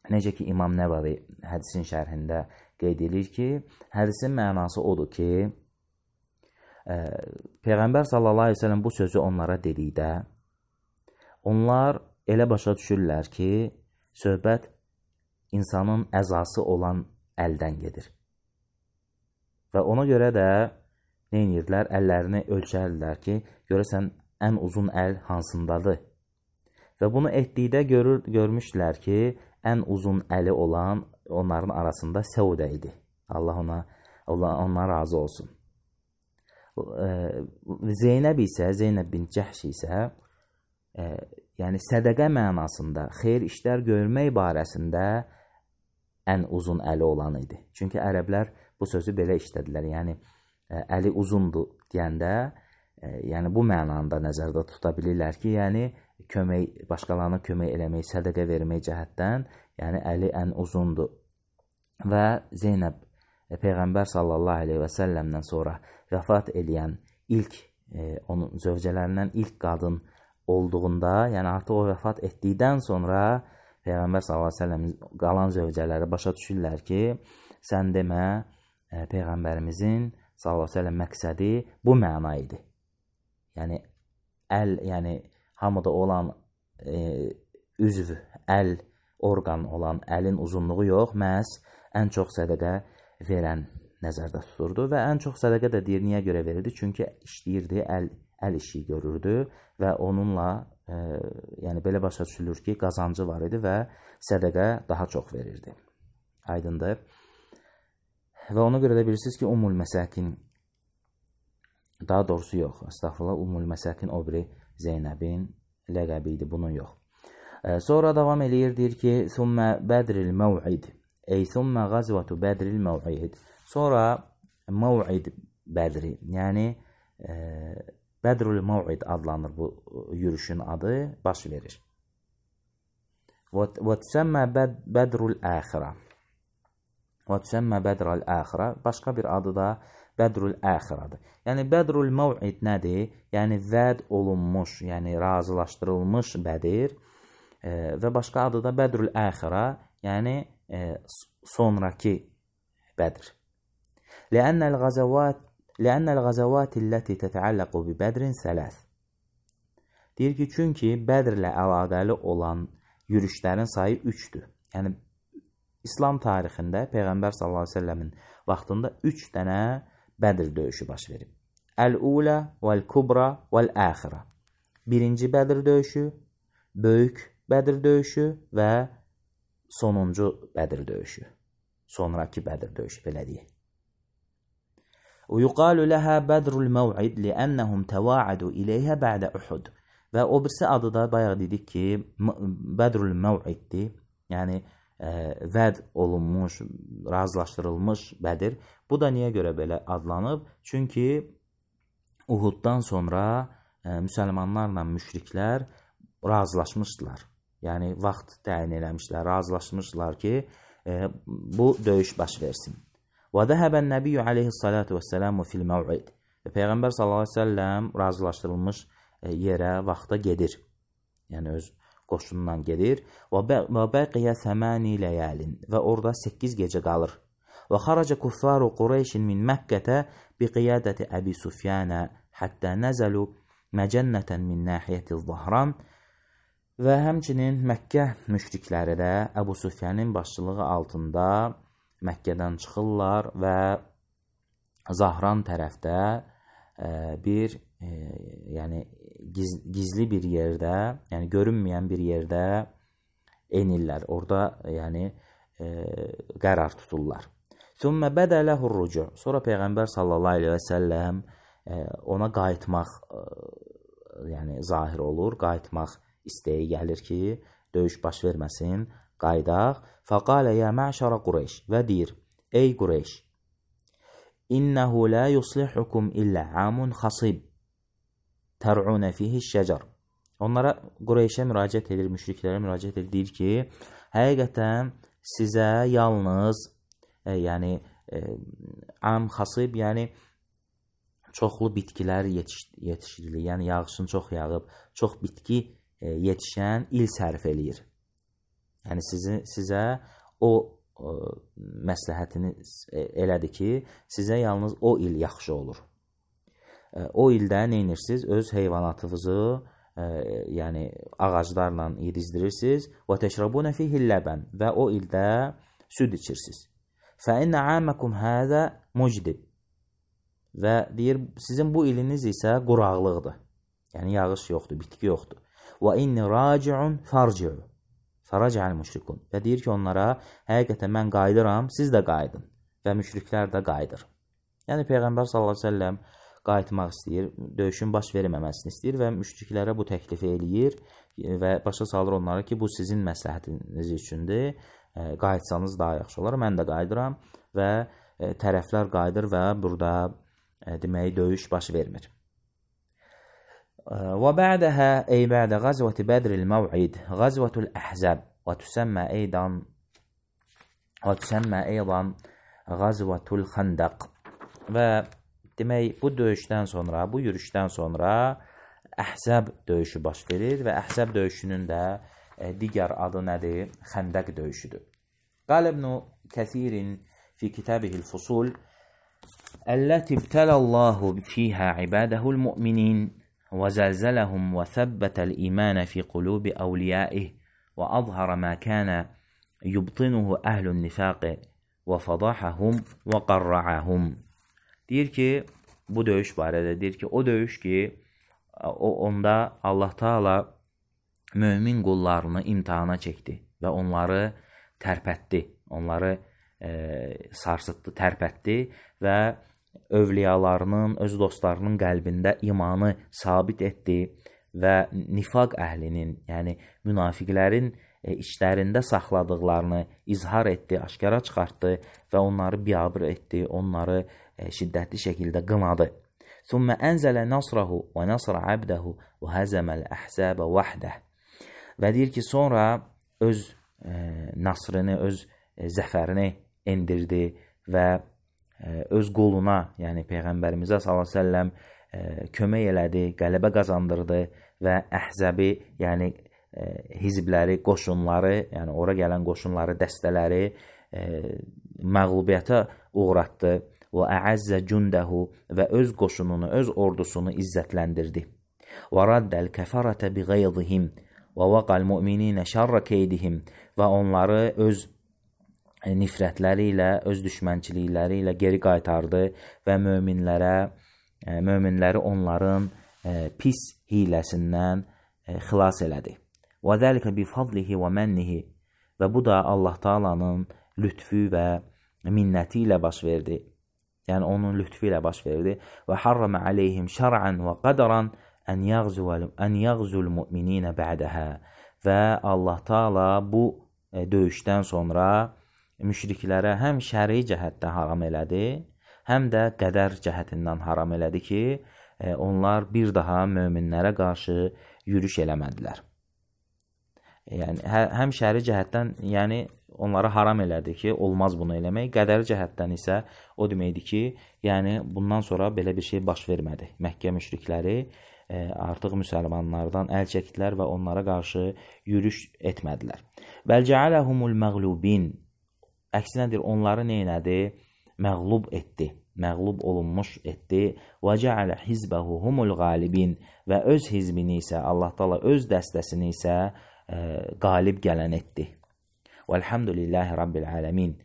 necə ki İmam Nəvavi hədisin şərhində qeyd edir ki, hədisin mənası odur ki, e, Peyğəmbər sallallahu əleyhi və səlləm bu sözü onlara dedikdə, onlar elə başa düşürlər ki, söhbət insanın əzası olan əldən gedir. Və ona görə də nə edirlər? Əllərini ölçərlər ki, görəsən ən uzun əl hansındadır. Və bunu etdikdə görür, görmüşlər ki, ən uzun əli olan onların arasında Səudə idi. Allah ona, Allah ona razı olsun. Zeynəb isə, Zeynəb bin Cəhş isə, e, yəni sədəqə mənasında, xeyir işlər görmək barəsində ən uzun əli olan idi. Çünki ərəblər bu sözü belə işlədilər. Yəni, əli uzundur deyəndə, yəni bu mənanda nəzərdə tuta bilirlər ki, yəni kömək, başqalarına kömək eləmək, sədəqə vermək cəhətdən, yəni əli ən uzundur. Və Zeynəb Peyğəmbər sallallahu əleyhi və səlləmdən sonra vəfat edən ilk, e, onun zövcələrindən ilk qadın olduğunda, yəni artıq o vəfat etdikdən sonra Peyğəmbər sallallahu əleyhi və səlləm qalan zövcələri başa düşürlər ki, sən demə e, Peyğəmbərimizin sallallahu əleyhi və səlləm məqsədi bu məna idi. Yəni əl, yəni hamıda olan e, üzv, əl, orqan olan əlin uzunluğu yox, məhz ən çox sədəqə verən nəzərdə tuturdu və ən çox sədəqə də deyir, niyə görə verirdi? Çünki işləyirdi, əl, əl işi görürdü və onunla e, yəni belə başa düşülür ki, qazancı var idi və sədəqə daha çox verirdi. Aydındır. Və ona görə də bilirsiniz ki, Ummul Məsəkin, daha doğrusu yox, əstəğfurullah, Ummul Məsəkin o biri Zeynəbin ləqəbi idi, bunun yox. E, sonra davam eləyir, deyir ki, Thumma Bədril Məv'id, ey Thumma Qazvatu Bədril Məv'id. Sonra Məv'id Bədri, yəni e, Bədrül Məv'id adlanır bu yürüşün adı, baş verir. Və tüsəmmə Bədrül Əxirə. Və tüsəmmə Bədrül Əxirə. Başqa bir adı da Bədrül əxiradır. Yəni Bədrül məv'id nədir? Yəni vəd olunmuş, yəni razılaşdırılmış Bədir e, və başqa adı da Bədrül əxira, yəni e, sonrakı Bədr. Ləənnəl qazəvat ləənnəl qazəvatiləti tətəalləqu bi Bədrin sələs. Deyir ki, çünki Bədirlə əlaqəli olan yürüşlərin sayı üçdür. Yəni İslam tarixində Peyğəmbər sallallahu əleyhi və səlləmin vaxtında üç dənə Bədir döyüşü baş verib. Əl-Ulə vəl-Kubra vəl-Əxirə. Birinci Bədir döyüşü, böyük Bədir döyüşü və sonuncu Bədir döyüşü. Sonrakı Bədir döyüşü, belə deyək. ويقال لها بدر الموعد لأنهم تواعدوا إليها بعد Uhud. Və o birisi adı da bayaq dedik ki, Bədrül Məv'iddir. Yəni e, vəd olunmuş, razılaşdırılmış Bədir. Bu da niyə görə belə adlanıb? Çünki Uhuddan sonra e, müsəlmanlarla müşriklər razılaşmışdılar. Yəni vaxt təyin eləmişlər, razılaşmışdılar ki, e, bu döyüş baş versin. Və zəhəbən Nəbiyyü aleyhissalatu vəssələmu fil məv'id. Və Peyğəmbər sallallahu əleyhi və səlləm razılaşdırılmış yerə, vaxta gedir. Yəni öz qoşunundan gedir. Və bəqiyə səmani ləyəlin. Və orada səkkiz gecə qalır. Və xaraca kuffaru Qureyşin min Məkkətə bi qiyadəti Əbi Sufyanə həttə nəzəlu məcənnətən min nəhiyyəti Zahran. Və həmçinin Məkkə müşrikləri də Əbu Sufyanın başçılığı altında Məkkədən çıxırlar və Zahran tərəfdə e, bir e, yəni giz, gizli bir yerdə, yəni görünməyən bir yerdə enirlər. Orada yəni e, qərar tuturlar. Thumma bada lahu ar-rucu'. Sonra Peyğəmbər sallallahu əleyhi və səlləm e, ona qayıtmaq e, yəni zahir olur, qayıtmaq istəyi gəlir ki, döyüş baş verməsin. Qaydaq. Faqalə ya məşərə Qureyş. Və deyir, ey Qureyş, İnnəhu la yuslihukum illə amun xasib tər'unə fihi şəcər. Onlara Qureyşə müraciət edir, müşriklərə müraciət edir, deyir ki, həqiqətən sizə yalnız e, yəni e, am xasib, yəni çoxlu bitkilər yetiş, yetişdirilir. Yəni yağışın çox yağıb, çox bitki e, yetişən il sərf eləyir. Yəni sizin, sizə o, o məsləhətini elədi ki, sizə yalnız o il yaxşı olur. E, o ildə nə edirsiniz? Öz heyvanatınızı e, yəni ağaclarla yedizdirirsiniz. Və təşrabunə fihi ləbən. Və o ildə süd içirsiniz. Fə innə amakum həzə mucdib. Və deyir, sizin bu iliniz isə quraqlıqdır. Yəni yağış yoxdur, bitki yoxdur. Və inni raci'un farci'u. Faraca'l müşrikun. Və deyir ki, onlara, həqiqətən mən qayıdıram, siz də qayıdın. Və müşriklər də qayıdır. Yəni Peyğəmbər sallallahu əleyhi və səlləm qayıtmaq istəyir, döyüşün baş verməməsini istəyir və müşriklərə bu təklifi eləyir və başa salır onlara ki, bu sizin məsləhətiniz üçündür. Qayıtsanız daha yaxşı olar. Mən də qayıdıram və tərəflər qayıdır və burada deməyi döyüş baş vermir. وبعدها أي بعد غزوة بدر الموعد غزوة الأحزاب وتسمى أيضا وتسمى أيضا غزوة الخندق. Və demək bu döyüşdən sonra, bu yürüşdən sonra Əhzab döyüşü baş verir və Əhzab döyüşünün də e, digər adı nədir? Xəndəq döyüşüdür. Qal İbn Kəthir fi kitabih el-Fusul Əlləti ibtəlallahu fiha ibadəhul mu'minin وزلزلهم وثبت الإيمان في قلوب أوليائه وأظهر ما كان يبطنه أهل النفاق وفضحهم وقرعهم. Deyir ki, bu döyüş barədə deyir ki, o döyüş ki, o, onda Allah Taala mömin qullarını imtihana çəkdi və onları tərpətdi, onları e, sarsıtdı, tərpətdi və övliyalarının, öz dostlarının qəlbində imanı sabit etdi və nifaq əhlinin, yəni münafiqlərin e, işlərində saxladıqlarını izhar etdi, aşkara çıxartdı və onları biabır etdi, onları e, şiddətli şəkildə qınadı. Thumma ənzələ nasrahu və nasra abdahu və həzəməl əhzəbə vəhdə. Və deyir ki, sonra öz e, nasrını, öz e, zəfərini endirdi və öz qoluna, yəni Peyğəmbərimizə sallallahu əleyhi və səlləm kömək elədi, qələbə qazandırdı və Əhzəbi, yəni hizbləri, qoşunları, yəni ora gələn qoşunları, dəstələri məğlubiyyətə uğratdı. Və əəzzə cündəhu və öz qoşununu, öz ordusunu izzətləndirdi. Və raddəl kəfərətə biğayzihim və vaqal müminинə şərrə keydihim və onları öz nifrətləri ilə, öz düşmənçilikləri ilə geri qaytardı və möminlərə, möminləri onların pis hiləsindən xilas elədi. Və zəlikə bifadlihi və mənnihi və bu da Allah Taala'nın lütfü və minnəti ilə baş verdi. Yəni onun lütfü ilə baş verdi. Və harramə aleyhim şər'ən və qadaran ən yəğzul müminинə bə'dəhə və Allah Taala bu döyüşdən sonra müşriklərə həm şəri cəhətdə haram elədi, həm də qədər cəhətindən haram elədi ki, onlar bir daha möminlərə qarşı yürüş eləmədilər. Yəni həm şəri cəhətdən, yəni onlara haram elədi ki, olmaz bunu eləmək. Qədəri cəhətdən isə o deməkdir ki, yəni bundan sonra belə bir şey baş vermədi. Məkkə müşrikləri e, artıq müsəlmanlardan əl çəkdilər və onlara qarşı yürüş etmədilər. Bəl cəaləhumul məğlubin, əksinədir, onları nə elədi? Məğlub etdi, məğlub olunmuş etdi. Və cəalə hizbəhu humul qalibin və öz hizbini isə, Allah Taala öz dəstəsini isə e, qalib gələn etdi. Vəlhamdülillahi Rabbil aləmin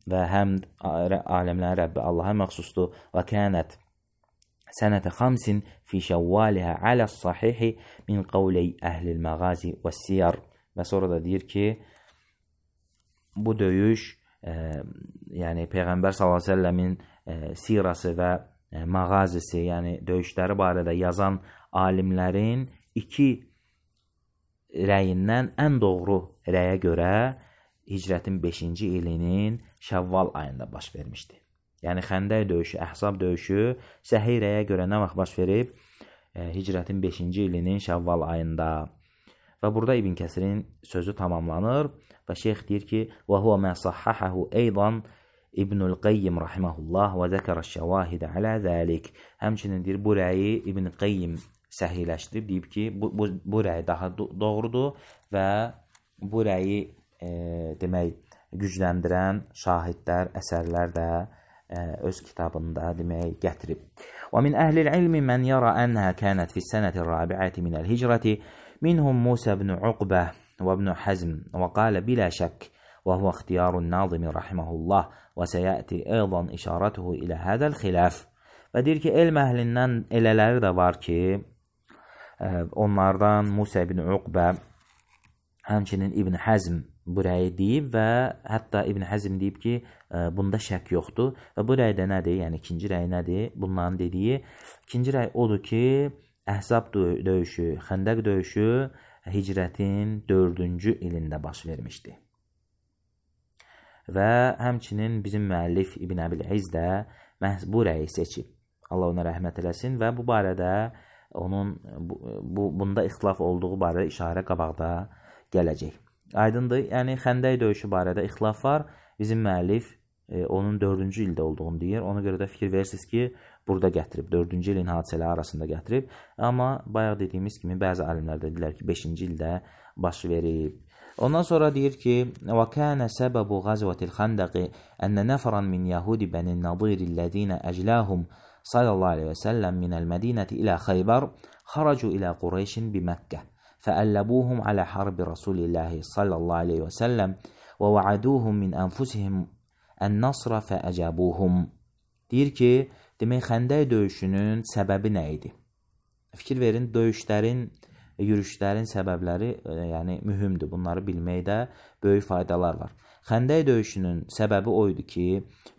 və həmd aləmlərin Rəbbi Allaha məxsusdur. Və kənət sənətə xamsin fi şəvvalihə aləs sahihi min qavləy əhlil məğazi və siyar. Və sonra da deyir ki, bu döyüş, e, yəni Peyğəmbər sallallahu əleyhi və səlləmin e, sirası və e, məğazisi, yəni döyüşləri barədə yazan alimlərin iki rəyindən ən doğru rəyə görə hicrətin beşinci ilinin Şəvval ayında baş vermişdi. Yəni Xəndək döyüşü, Əhzab döyüşü səhih rəyə görə nə vaxt baş verib? E, hicrətin beşinci ilinin Şəvval ayında. Və burada İbn Kəsirin sözü tamamlanır və şeyx deyir ki, və huvə mə sahhahahu eydan İbnül Qayyim rahimehullah və zəkərəş-şəvahidə alə zəlik. Həmçinin deyir, bu rəyi İbn Qayyim səhiləşdirib, deyib ki, bu, bu, bu rəy daha doğrudur və bu rəyi e, demək, gücləndirən şahidlər, əsərlər də e, öz kitabında demək, gətirib. Və min əhlil ilmi mən yara ənhə kənət fissənəti rabiəti minəl hicrəti minhum Musa ibn Uqbə və ibn Həzm və qalə bilə şək və huvə ixtiyarun nazimi rahiməhullah və səyəti eydan işarətuhu ilə hədəl xiləf. Və deyir ki, elm əhlindən elələri də var ki, onlardan Musa ibn Uqbə, həmçinin İbn Həzm bu rəyi deyib və hətta İbn Həzm deyib ki, bunda şək yoxdur. Və bu rəy də nədir? Yəni ikinci rəy nədir? Bunların dediyi ikinci rəy odur ki, Əhzab döyüşü, Xəndəq döyüşü hicrətin dördüncü ilində baş vermişdi. Və həmçinin bizim müəllif İbn Əbil İz də məhz bu rəyi seçib. Allah ona rəhmət eləsin və bu barədə onun bu, bu bunda ixtilaf olduğu barədə işarə qabaqda gələcək. Aydındır, yəni Xəndək döyüşü barədə ixtilaf var. Bizim müəllif e, onun dördüncü ildə olduğunu deyir. Ona görə də fikir verirsiniz ki, burada gətirib, dördüncü ilin hadisələri arasında gətirib. Amma bayaq dediyimiz kimi bəzi alimlər dedilər ki, beşinci ildə baş verib. Ondan sonra deyir ki, və kənə səbəbu qazvətil xəndəqi ənə nəfəran min yəhudi bənin nadirillədinə əcləhum sallallahu aleyhi və səlləm minəl mədinəti ilə Xeybər xaracu ilə Qureyşin bi Məkkə fəəlləbuhum alə harbi Rasulillahi sallallahu aleyhi və səlləm və vəaduhum min ənfusihim ən-nasra fəəcəbuhum. Deyir ki, demək Xəndək döyüşünün səbəbi nə idi? Fikir verin, döyüşlərin, yürüşlərin səbəbləri yəni mühümdür. Bunları bilməkdə böyük faydalar var. Xəndək döyüşünün səbəbi o idi ki,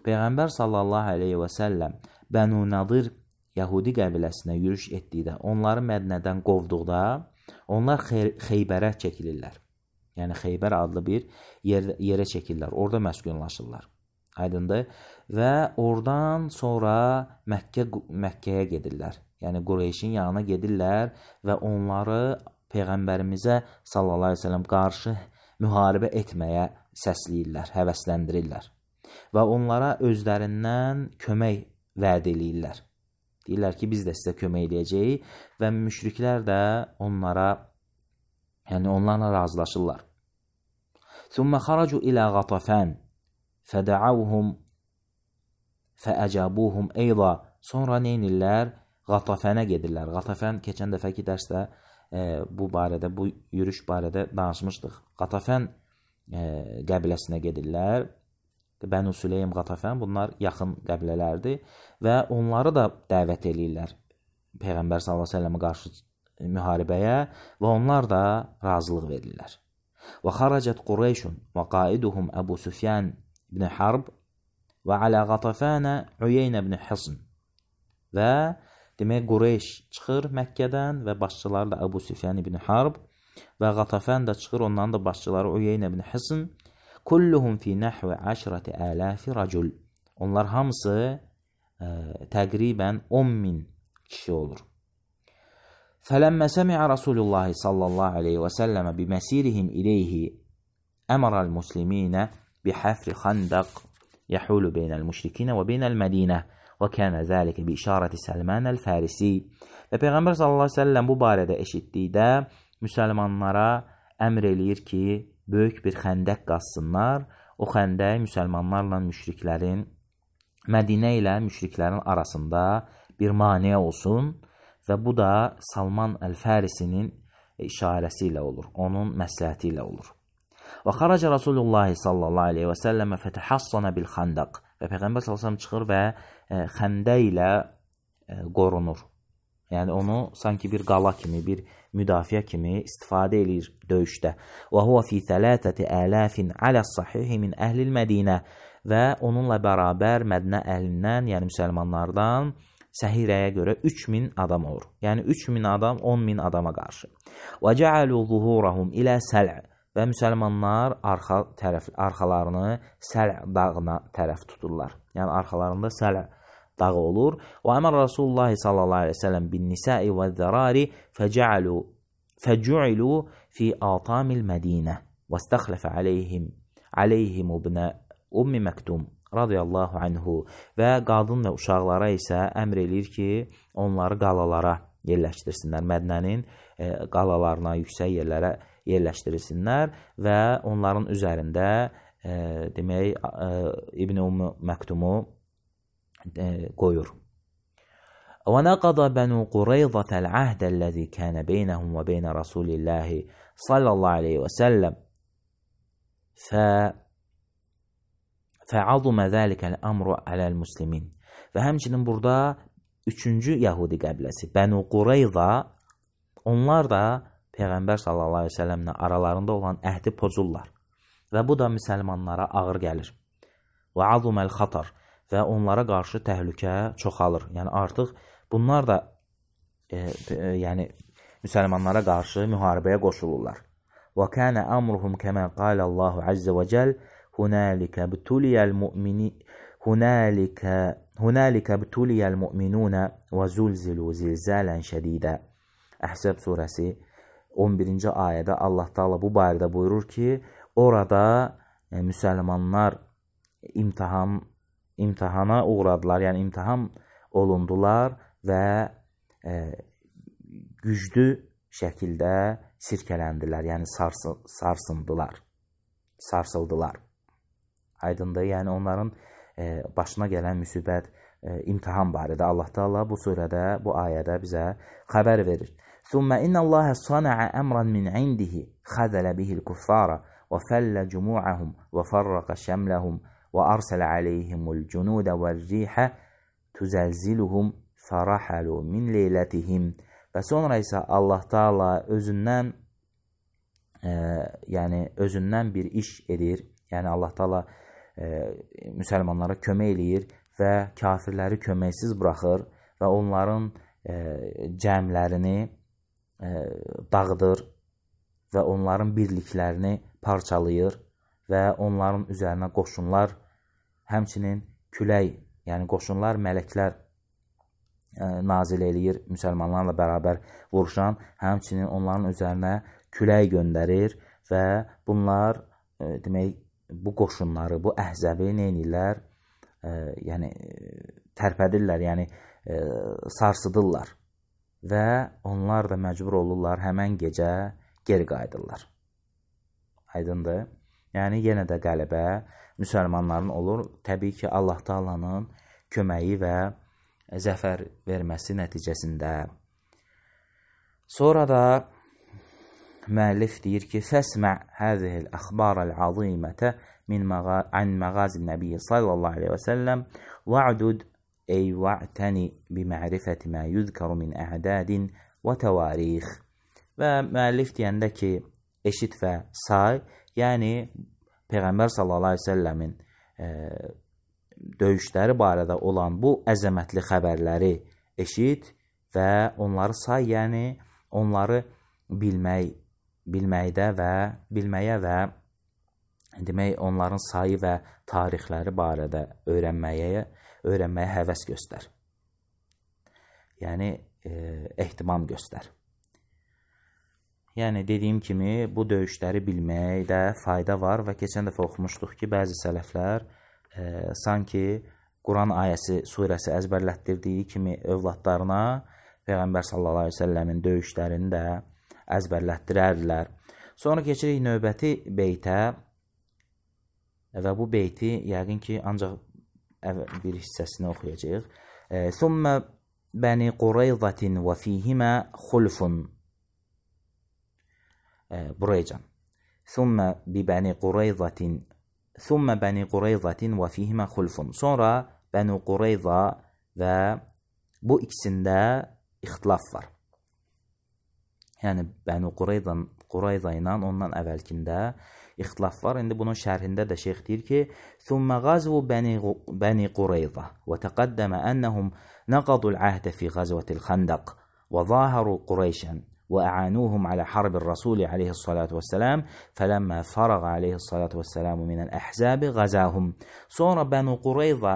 Peyğəmbər sallallahu aleyhi və səlləm Bənu Nadir Yəhudi qəbiləsinə yürüş etdikdə, onları Mədinədən qovduqda, onlar Xeybərə çəkilirlər. Yəni Xeybər adlı bir yer, yerə çəkirlər, orada məskunlaşırlar. Aydındır. Və oradan sonra Məkkə, Məkkəyə gedirlər. Yəni Qureyşin yanına gedirlər və onları Peyğəmbərimizə sallallahu aleyhi ve sellem qarşı müharibə etməyə səsləyirlər, həvəsləndirirlər. və onlara özlərindən kömək vəd eləyirlər. Deyirlər ki, biz də sizə kömək eləyəcəyik və müşriklər də onlara, yəni onlarla razılaşırlar. ثُمَّ خَرَجُوا إِلَى غَطَفَانَ فَدَعَوْهُمْ فَأَجَابُوهُمْ أَيْضًا. Sonra neynirlər? Qatafənə gedirlər. Qatafən keçən dəfəki dərsdə e, bu barədə, bu yürüş barədə danışmışdıq. Qatafən e, qəbiləsinə gedirlər. Bənu Süleym, Qatafən, bunlar yaxın qəbilələrdir və onları da dəvət eləyirlər Peyğəmbər sallallahu əleyhi və səlləmə qarşı müharibəyə və onlar da razılıq verirlər. Və xaracət Qureyşun və qaiduhum Əbu Süfyan ibn Harb və alə Qatafənə Üyeynə ibn Hisn. Və demək Qureyş çıxır Məkkədən və başçıları da Əbu Süfyan ibn Harb və Qatafən də çıxır, onların da başçıları Üyeynə ibn Hisn. Kulluhum fi nəhvi əşrəti ələfi racul. Onlar hamısı ə, təqribən on min kişi olur. فَلَمَّا سَمِعَ رَسُولُ اللّٰهِ صَلَّى اللّٰهِ عَلَيْهِ وَسَلَّمَ بِمَسِيرِهِمْ إِلَيْهِ أَمَرَ الْمُسْلِمِينَ بِحَفْرِ خَنْدَقٍ يَحُولُ بَيْنَ الْمُشْرِكِينَ وَبَيْنَ الْمَدِينَةِ وَكَانَ ذَلِكَ بِإِشَارَةِ سَلْمَانَ الْفَارِسِي. Və Peyğəmbər sallallahu əleyhi və səlləm bu barədə eşitdikdə müsəlmanlara əmr eləyir ki, böyük bir xəndək qazsınlar. O xəndək müsəlmanlarla müşriklərin, Mədinə ilə müşriklərin arasında bir maneə olsun. Və bu da Salman Əl-Fərisinin işarəsi ilə olur, onun məsləhəti ilə olur. Və xaraca Rasulullah sallallahu aleyhi və səlləmə fətəhassana bil xandaq. Və Peyğəmbər sallallahu aleyhi və səlləm çıxır və e, xəndə ilə e, qorunur. Yəni onu sanki bir qala kimi, bir müdafiə kimi istifadə edir döyüşdə. Və huva fi thələthəti əlafin alə sahihi min əhlil Mədinə. Və onunla bərabər Mədinə əhlindən, yəni müsəlmanlardan Səhirəyə görə üç min adam olur. Yəni üç min adam on min adama qarşı. Və cəalu zuhurahum ilə səl'. Və müsəlmanlar arxa tərəf arxalarını Səl' dağına tərəf tuturlar. Yəni arxalarında Səl' dağı olur. Və əmər Rasulullah sallallahu əleyhi və səlləm bin nisa'i və zərari fəcəalu fəcu'ilu fi atamil Mədinə və istəxləfə aleyhim aleyhim ibn Ummi Məktum radiyallahu anhu və qadın və uşaqlara isə əmr eləyir ki, onları qalalara yerləşdirsinlər. Mədinənin e, qalalarına, yüksək yerlərə yerləşdirsinlər və onların üzərində e, demək e, İbn Ummu Məktumu e, qoyur. Və nəqada Bənu Qureyzətəl əhdə-ləzi kənə beynəhum və beynə Rasulillahi sallallahu aleyhi və səlləm fə فَعَظُمَ ذَلِكَ الْأَمْرُ عَلَى الْمُسْلِمِينَ. Və həmçinin burada üçüncü Yahudi qəbiləsi Bənu Qureyza, onlar da Peyğəmbər sallallahu aleyhi ve səlləmlə aralarında olan əhdi pozurlar. Və bu da müsəlmanlara ağır gəlir. وَعَظُمَ الْخَطَرِ. Və onlara qarşı təhlükə çoxalır. Yəni artıq bunlar da e, e, yəni müsəlmanlara qarşı müharibəyə qoşulurlar. وَكَانَ أَمْرُهُمْ كَمَا قَالَ اللّٰهُ عَزَّ وَجَلَّ هنالك ابتلي المؤمنين هنالك هنالك ابتلي المؤمنون وزلزلوا زلزالا شديدا. Əhzəb surəsi on birinci ayədə Allah Taala bu barədə buyurur ki, orada e, müsəlmanlar imtahan imtahana uğradılar, yəni imtahan olundular və e, güclü şəkildə sirkələndilər, yəni sarsı, sarsındılar, sarsıldılar. Aydındır, yəni onların e, başına gələn müsibət, e, imtihan barədə Allah Taala bu surədə, bu ayədə bizə xəbər verir. Thumma inna Allaha sana'a amran min 'indihi khazala bihi al-kuffara wa falla jumu'ahum wa farraqa shamlahum wa arsala 'alayhim al-junuda wal-riha tuzalziluhum farahalu min leylatihim. Və sonra isə Allah Taala özündən e, yəni özündən bir iş edir. Yəni Allah Taala e, müsəlmanlara kömək eləyir və kafirləri köməksiz buraxır və onların e, cəmlərini e, dağıdır və onların birliklərini parçalayır və onların üzərinə qoşunlar, həmçinin külək, yəni qoşunlar, mələklər e, nazil eləyir müsəlmanlarla bərabər vuruşan, həmçinin onların üzərinə külək göndərir və bunlar e, demək bu qoşunları, bu əhzəbi nə edirlər? E, yəni tərpədirlər, yəni e, sarsıdırlar və onlar da məcbur olurlar həmən gecə geri qayıdırlar. Aydındır? Yəni yenə də qələbə müsəlmanların olur. Təbii ki, Allah Taala'nın köməyi və zəfər verməsi nəticəsində. Sonra da müəllif deyir ki, fəsmə' həzihil əxbarəl azimətə min an məğazin nəbiyyə sallallahu aleyhi və səlləm va'dud ey va'təni bimə'rifəti mə yüzkəru min əhdədin və təvarix. Və müəllif deyəndə ki, eşit və say, yəni Peyğəmbər sallallahu aleyhi və səlləmin e, döyüşləri barədə olan bu əzəmətli xəbərləri eşit və onları say, yəni onları bilmək, bilməkdə və bilməyə və demək onların sayı və tarixləri barədə öyrənməyə, öyrənməyə həvəs göstər. Yəni e, ehtimam göstər. Yəni dediyim kimi bu döyüşləri bilməkdə fayda var və keçən dəfə oxumuşduq ki, bəzi sələflər e, sanki Quran ayəsi, surəsi əzbərlətdirdiyi kimi övladlarına Peyğəmbər sallallahu aleyhi ve səlləmin döyüşlərini də əzbərlətdirərdilər. Sonra keçirik növbəti beytə və bu beyti yəqin ki, ancaq bir hissəsini oxuyacaq. Thumma bəni Qurayzatin və fihimə xulfun. Buraycan. Thumma bi bəni Qurayzatin Thumma bəni Qurayzatin və fihimə xulfun. Sonra Bəni Qurayza və bu ikisində ixtilaf var. Yəni Bəni Qurayza, Qurayza ilə ondan əvvəlkində ixtilaf var. İndi bunun şərhində də şeyx deyir ki, ثُمَّ غَزْوُ بَنِي قُرَيْظَةَ وَتَقَدَّمَ أَنَّهُمْ نَقَضُوا الْعَهْدَ فِي غَزْوَةِ الْخَنْدَقِ وَظَاهَرُوا قُرَيْشًا وَأَعَانُوهُمْ عَلَى حَرْبِ الرَّسُولِ عَلَيْهِ الصَّلَاةُ وَالسَّلَامُ فَلَمَّا فَرَغَ عَلَيْهِ الصَّلَاةُ وَالسَّلَامُ مِنَ الْأَحْزَابِ غَزَاهُمْ. Sonra Bəni Qurayza,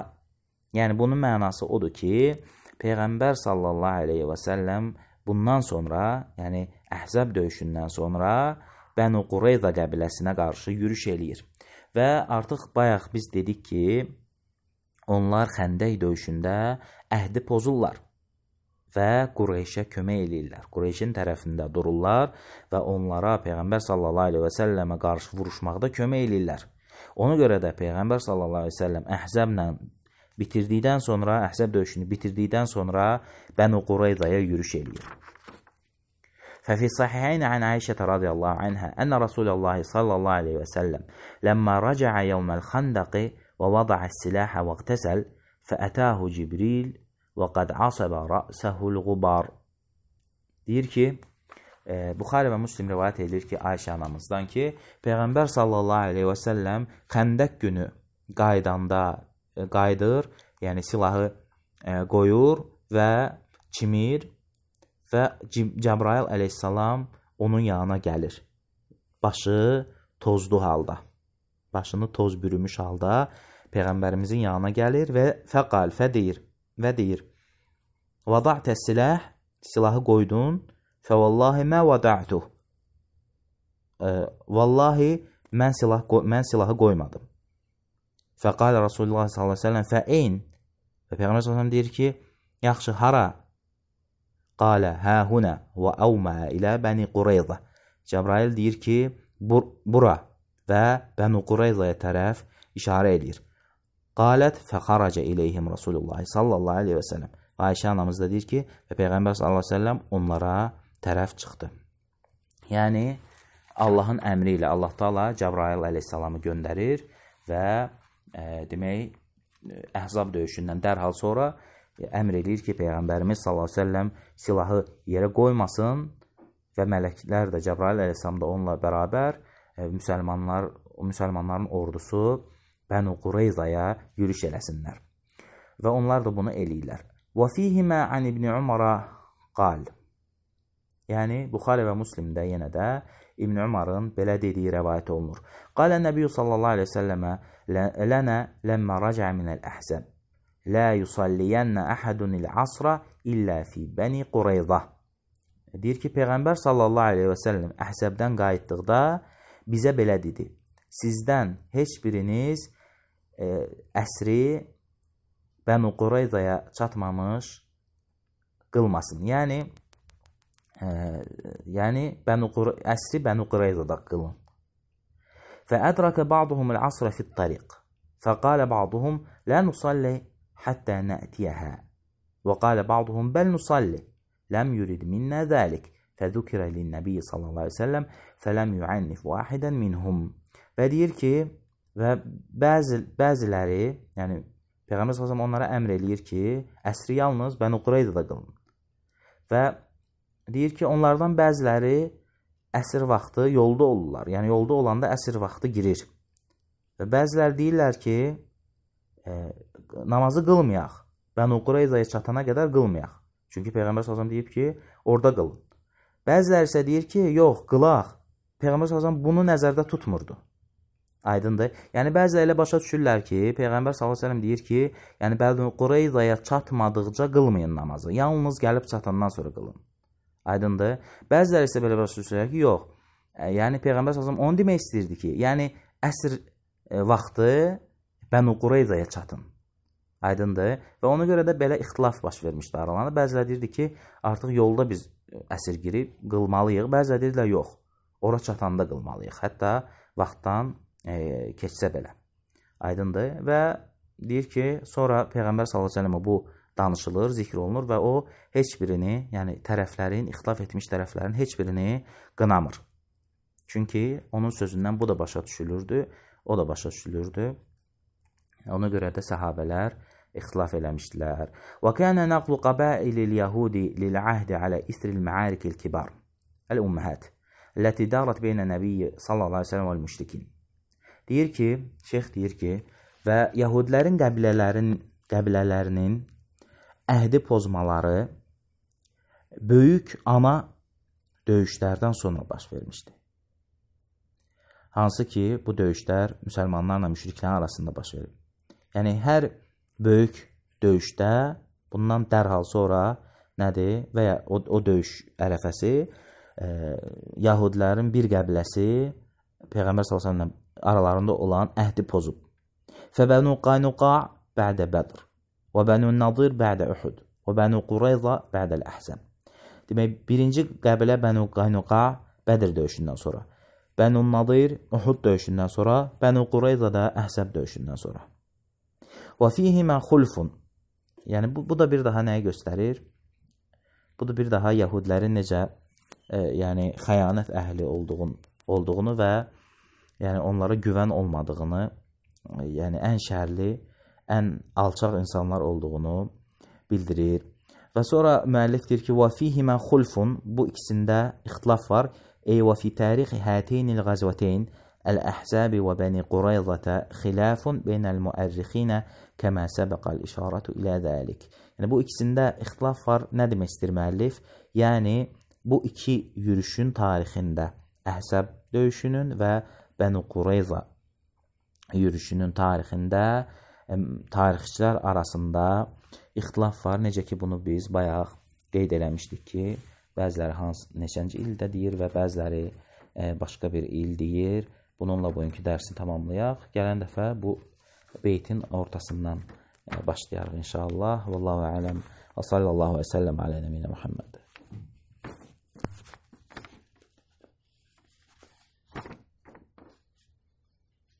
yəni bunun mənası odur ki, Peyğəmbər sallallahu aleyhi və səlləm bundan sonra, yəni Əhzəb döyüşündən sonra Bəni Qurayza qəbiləsinə qarşı yürüş eləyir. Və artıq bayaq biz dedik ki, onlar Xəndək döyüşündə əhdi pozurlar və Qureyşə kömək eləyirlər. Qureyşin tərəfində dururlar və onlara Peyğəmbər sallallahu aleyhi və səlləmə qarşı vuruşmaqda kömək eləyirlər. Ona görə də Peyğəmbər sallallahu aleyhi və səlləm Əhzəblə bitirdikdən sonra, Əhzəb döyüşünü bitirdikdən sonra Bəni Qurayzaya yürüş eləyir. ففي الصحيحين عن عائشة رضي الله عنها أن رسول الله صلى الله عليه وسلم لما رجع يوم الخندق ووضع السلاح واغتسل فأتاه جبريل وقد عصب رأسه الغبار. Deyir ki, e, Buxari və Müslim rivayət edir ki, Ayşə anamızdan ki, Peyğəmbər sallallahu aleyhi və səlləm Xəndək günü qaydanda e, qaydır, yəni silahı e, qoyur və çimir və Cəbrail əleyhissalam onun yanına gəlir. Başı tozlu halda, başını toz bürümüş halda Peyğəmbərimizin yanına gəlir və fəqal, fə deyir, və deyir, vada'tə silah, silahı qoydun, fə vallahi mə vada'tuh, vallahi mən, silah, mən silahı qoymadım. Fəqal Rasulullah sallallahu aleyhi ve sellem fə'in, və Peyğəmbər sallallahu aleyhi ve sellem deyir ki, yaxşı, hara? Qalə hə-hunə və əvmə ilə Bəni Qurayza. Cəbrail deyir ki, bur bura və Bəni Qurayzaya tərəf işarə edir. Qalət fəxaracə iləyhim Rasulullah sallallahu aleyhi və səlləm. Ayşə anamız da deyir ki, və Peyğəmbər sallallahu aleyhi və səlləm onlara tərəf çıxdı. Yəni, Allahın əmri ilə Allah Taala Cəbrail əleyhissalamı göndərir və e, demək, Əhzab döyüşündən dərhal sonra əmr edir ki, Peyğəmbərimiz sallallahu aleyhi ve sellem silahı yerə qoymasın və mələklər də Cəbrail əleyhissalam da onunla bərabər e, müsəlmanlar, müsəlmanların ordusu Bəni Qurayzaya yürüş eləsinlər. Və onlar da bunu eləyirlər. Və fihimə an İbn Umara qal. Yəni, Buxari və Müslimdə yenə də İbn Umarın belə dediyi rəvayət olunur. Qalə Nəbiyyü sallallahu aleyhi ve sellemə lənə ləmmə rəcə minəl əhzəb. La yusalliyənə əhədunil asra illə fi Bəni Qurayza. Deyir ki, Peyğəmbər sallallahu aleyhi və səlləm Əhzəbdən qayıtdıqda bizə belə dedi. sizdən heç biriniz e, əsri Bənu Qurayzaya çatmamış qılmasın. Yəni, e, yəni Bənu Qur- əsri Bənu Qurayzada qılın. فأدرك بعضهم العصر في الطريق فقال بعضهم لا نصلي حتى نأتيها وقال بعضهم بل نصلي لم يرد منا ذلك فذكر للنبي صلى الله عليه وسلم فلم يعنف واحدا منهم. Və deyir ki, və bəzi, bəziləri, yəni Peyğəmbər sallallahu əleyhi və səlləm onlara əmr eləyir ki, əsri yalnız Bənu Qurayzada qılın. Və deyir ki, onlardan bəziləri əsr vaxtı yolda olurlar. Yəni, yolda olanda əsr vaxtı girir. Və bəzilər deyirlər ki, e, namazı qılmayaq. Bənu Qurayzaya çatana qədər qılmayaq. Çünki Peyğəmbər sallallahu əleyhi və səlləm deyib ki, orada qılın. Bəzilər isə deyir ki, yox, qılaq. Peyğəmbər sallallahu əleyhi və səlləm bunu nəzərdə tutmurdu. Aydındır. Yəni, bəzilər elə başa düşürlər ki, Peyğəmbər sallallahu əleyhi və səlləm deyir ki, yəni Bənu Qurayzaya çatmadıqca qılmayın namazı. Yalnız gəlib çatandan sonra qılın. Aydındır. Bəziləri isə belə başa düşürlər ki, yox. Yəni Peyğəmbər sallallahu əleyhi və səlləm onu demək istəyirdi ki, yəni əsr e, vaxtı Bənu Qurayzaya çatın. Aydındır. Və ona görə də belə ixtilaf baş vermişdi aralarında. Bəziləri deyirdi ki, artıq yolda biz əsr girib qılmalıyıq. Bəziləri deyirlər, yox. Ora çatanda qılmalıyıq. Hətta vaxtdan e, keçsə belə. Aydındır. Və deyir ki, sonra Peyğəmbər sallallahu əleyhi və səlləm bu danışılır, zikr olunur və o heç birini, yəni tərəflərin, ixtilaf etmiş tərəflərin heç birini qınamır. Çünki onun sözündən bu da başa düşülürdü, o da başa düşülürdü. Ona görə də səhabələr ixtilaf eləmişdilər. Və kənə nəqlu qəbailil yəhudi lil-əhdi alə isril məarikil kibar, əl-ümməhət, ləti darat beynə nəbiyyə sallallahu aleyhi ve sellem vəl-müşrikin. Deyir ki, şeyx deyir ki, və yəhudilərin qəbilələrin, qəbilələrinin əhdi pozmaları böyük ana döyüşlərdən sonra baş vermişdi. Hansı ki, bu döyüşlər müsəlmanlarla müşriklərin arasında baş verib. Yəni, hər böyük döyüşdə bundan dərhal sonra nədir? Və ya o, o döyüş ərəfəsi e, Yahudilərin bir qəbiləsi Peyğəmbər sallallahu əleyhi və səlləm aralarında olan əhdi pozub. Fəbənu Qaynuqa bə'də Bədr və Bənu Nadir bə'də Uhud və Bənu Qurayza bə'dəl Əhzəb. Demək, birinci qəbilə Bənu Qaynuqa Bədir döyüşündən sonra, Bənu Nadir Uhud döyüşündən sonra, Bənu Qurayza da Əhzəb döyüşündən sonra. Və fihimə xulfun. Yəni, bu, bu da bir daha nəyi göstərir? Bu da bir daha Yahudilərin necə e, yəni, xəyanət əhli olduğun, olduğunu və yəni, onlara güvən olmadığını, e, yəni ən şərli, ən alçaq insanlar olduğunu bildirir. Və sonra müəllif deyir ki, وَفِيهِمَا خُلْفٌ, bu ikisində ixtilaf var. Ey وَفِي تَارِخِ هَاتَيْنِ الْغَزْوَتَيْنِ الْأَحْزَابِ وَبَنِي قُرَيْظَةَ خِلَافٌ بَيْنَ الْمُؤَرِّخِينَ كَمَا سَبَقَ الْإِشَارَةُ إِلَى ذَلِكَ. Yəni, bu ikisində ixtilaf var. Nə demək istəyir müəllif? Yəni, bu iki yürüşün tarixində, Əhzəb döyüşünün və Bənu Qurayza yürüşünün tarixində tarixçilər arasında ixtilaf var. Necə ki, bunu biz bayaq qeyd eləmişdik ki, bəziləri hans, neçənci ildə deyir və bəziləri e, başqa bir il deyir. Bununla bugünkü dərsi tamamlayaq. Gələn dəfə bu beytin ortasından e, başlayarıq inşallah. Vallahu aləm və sallallahu və səlləm alə nəbiyyə Muhammed.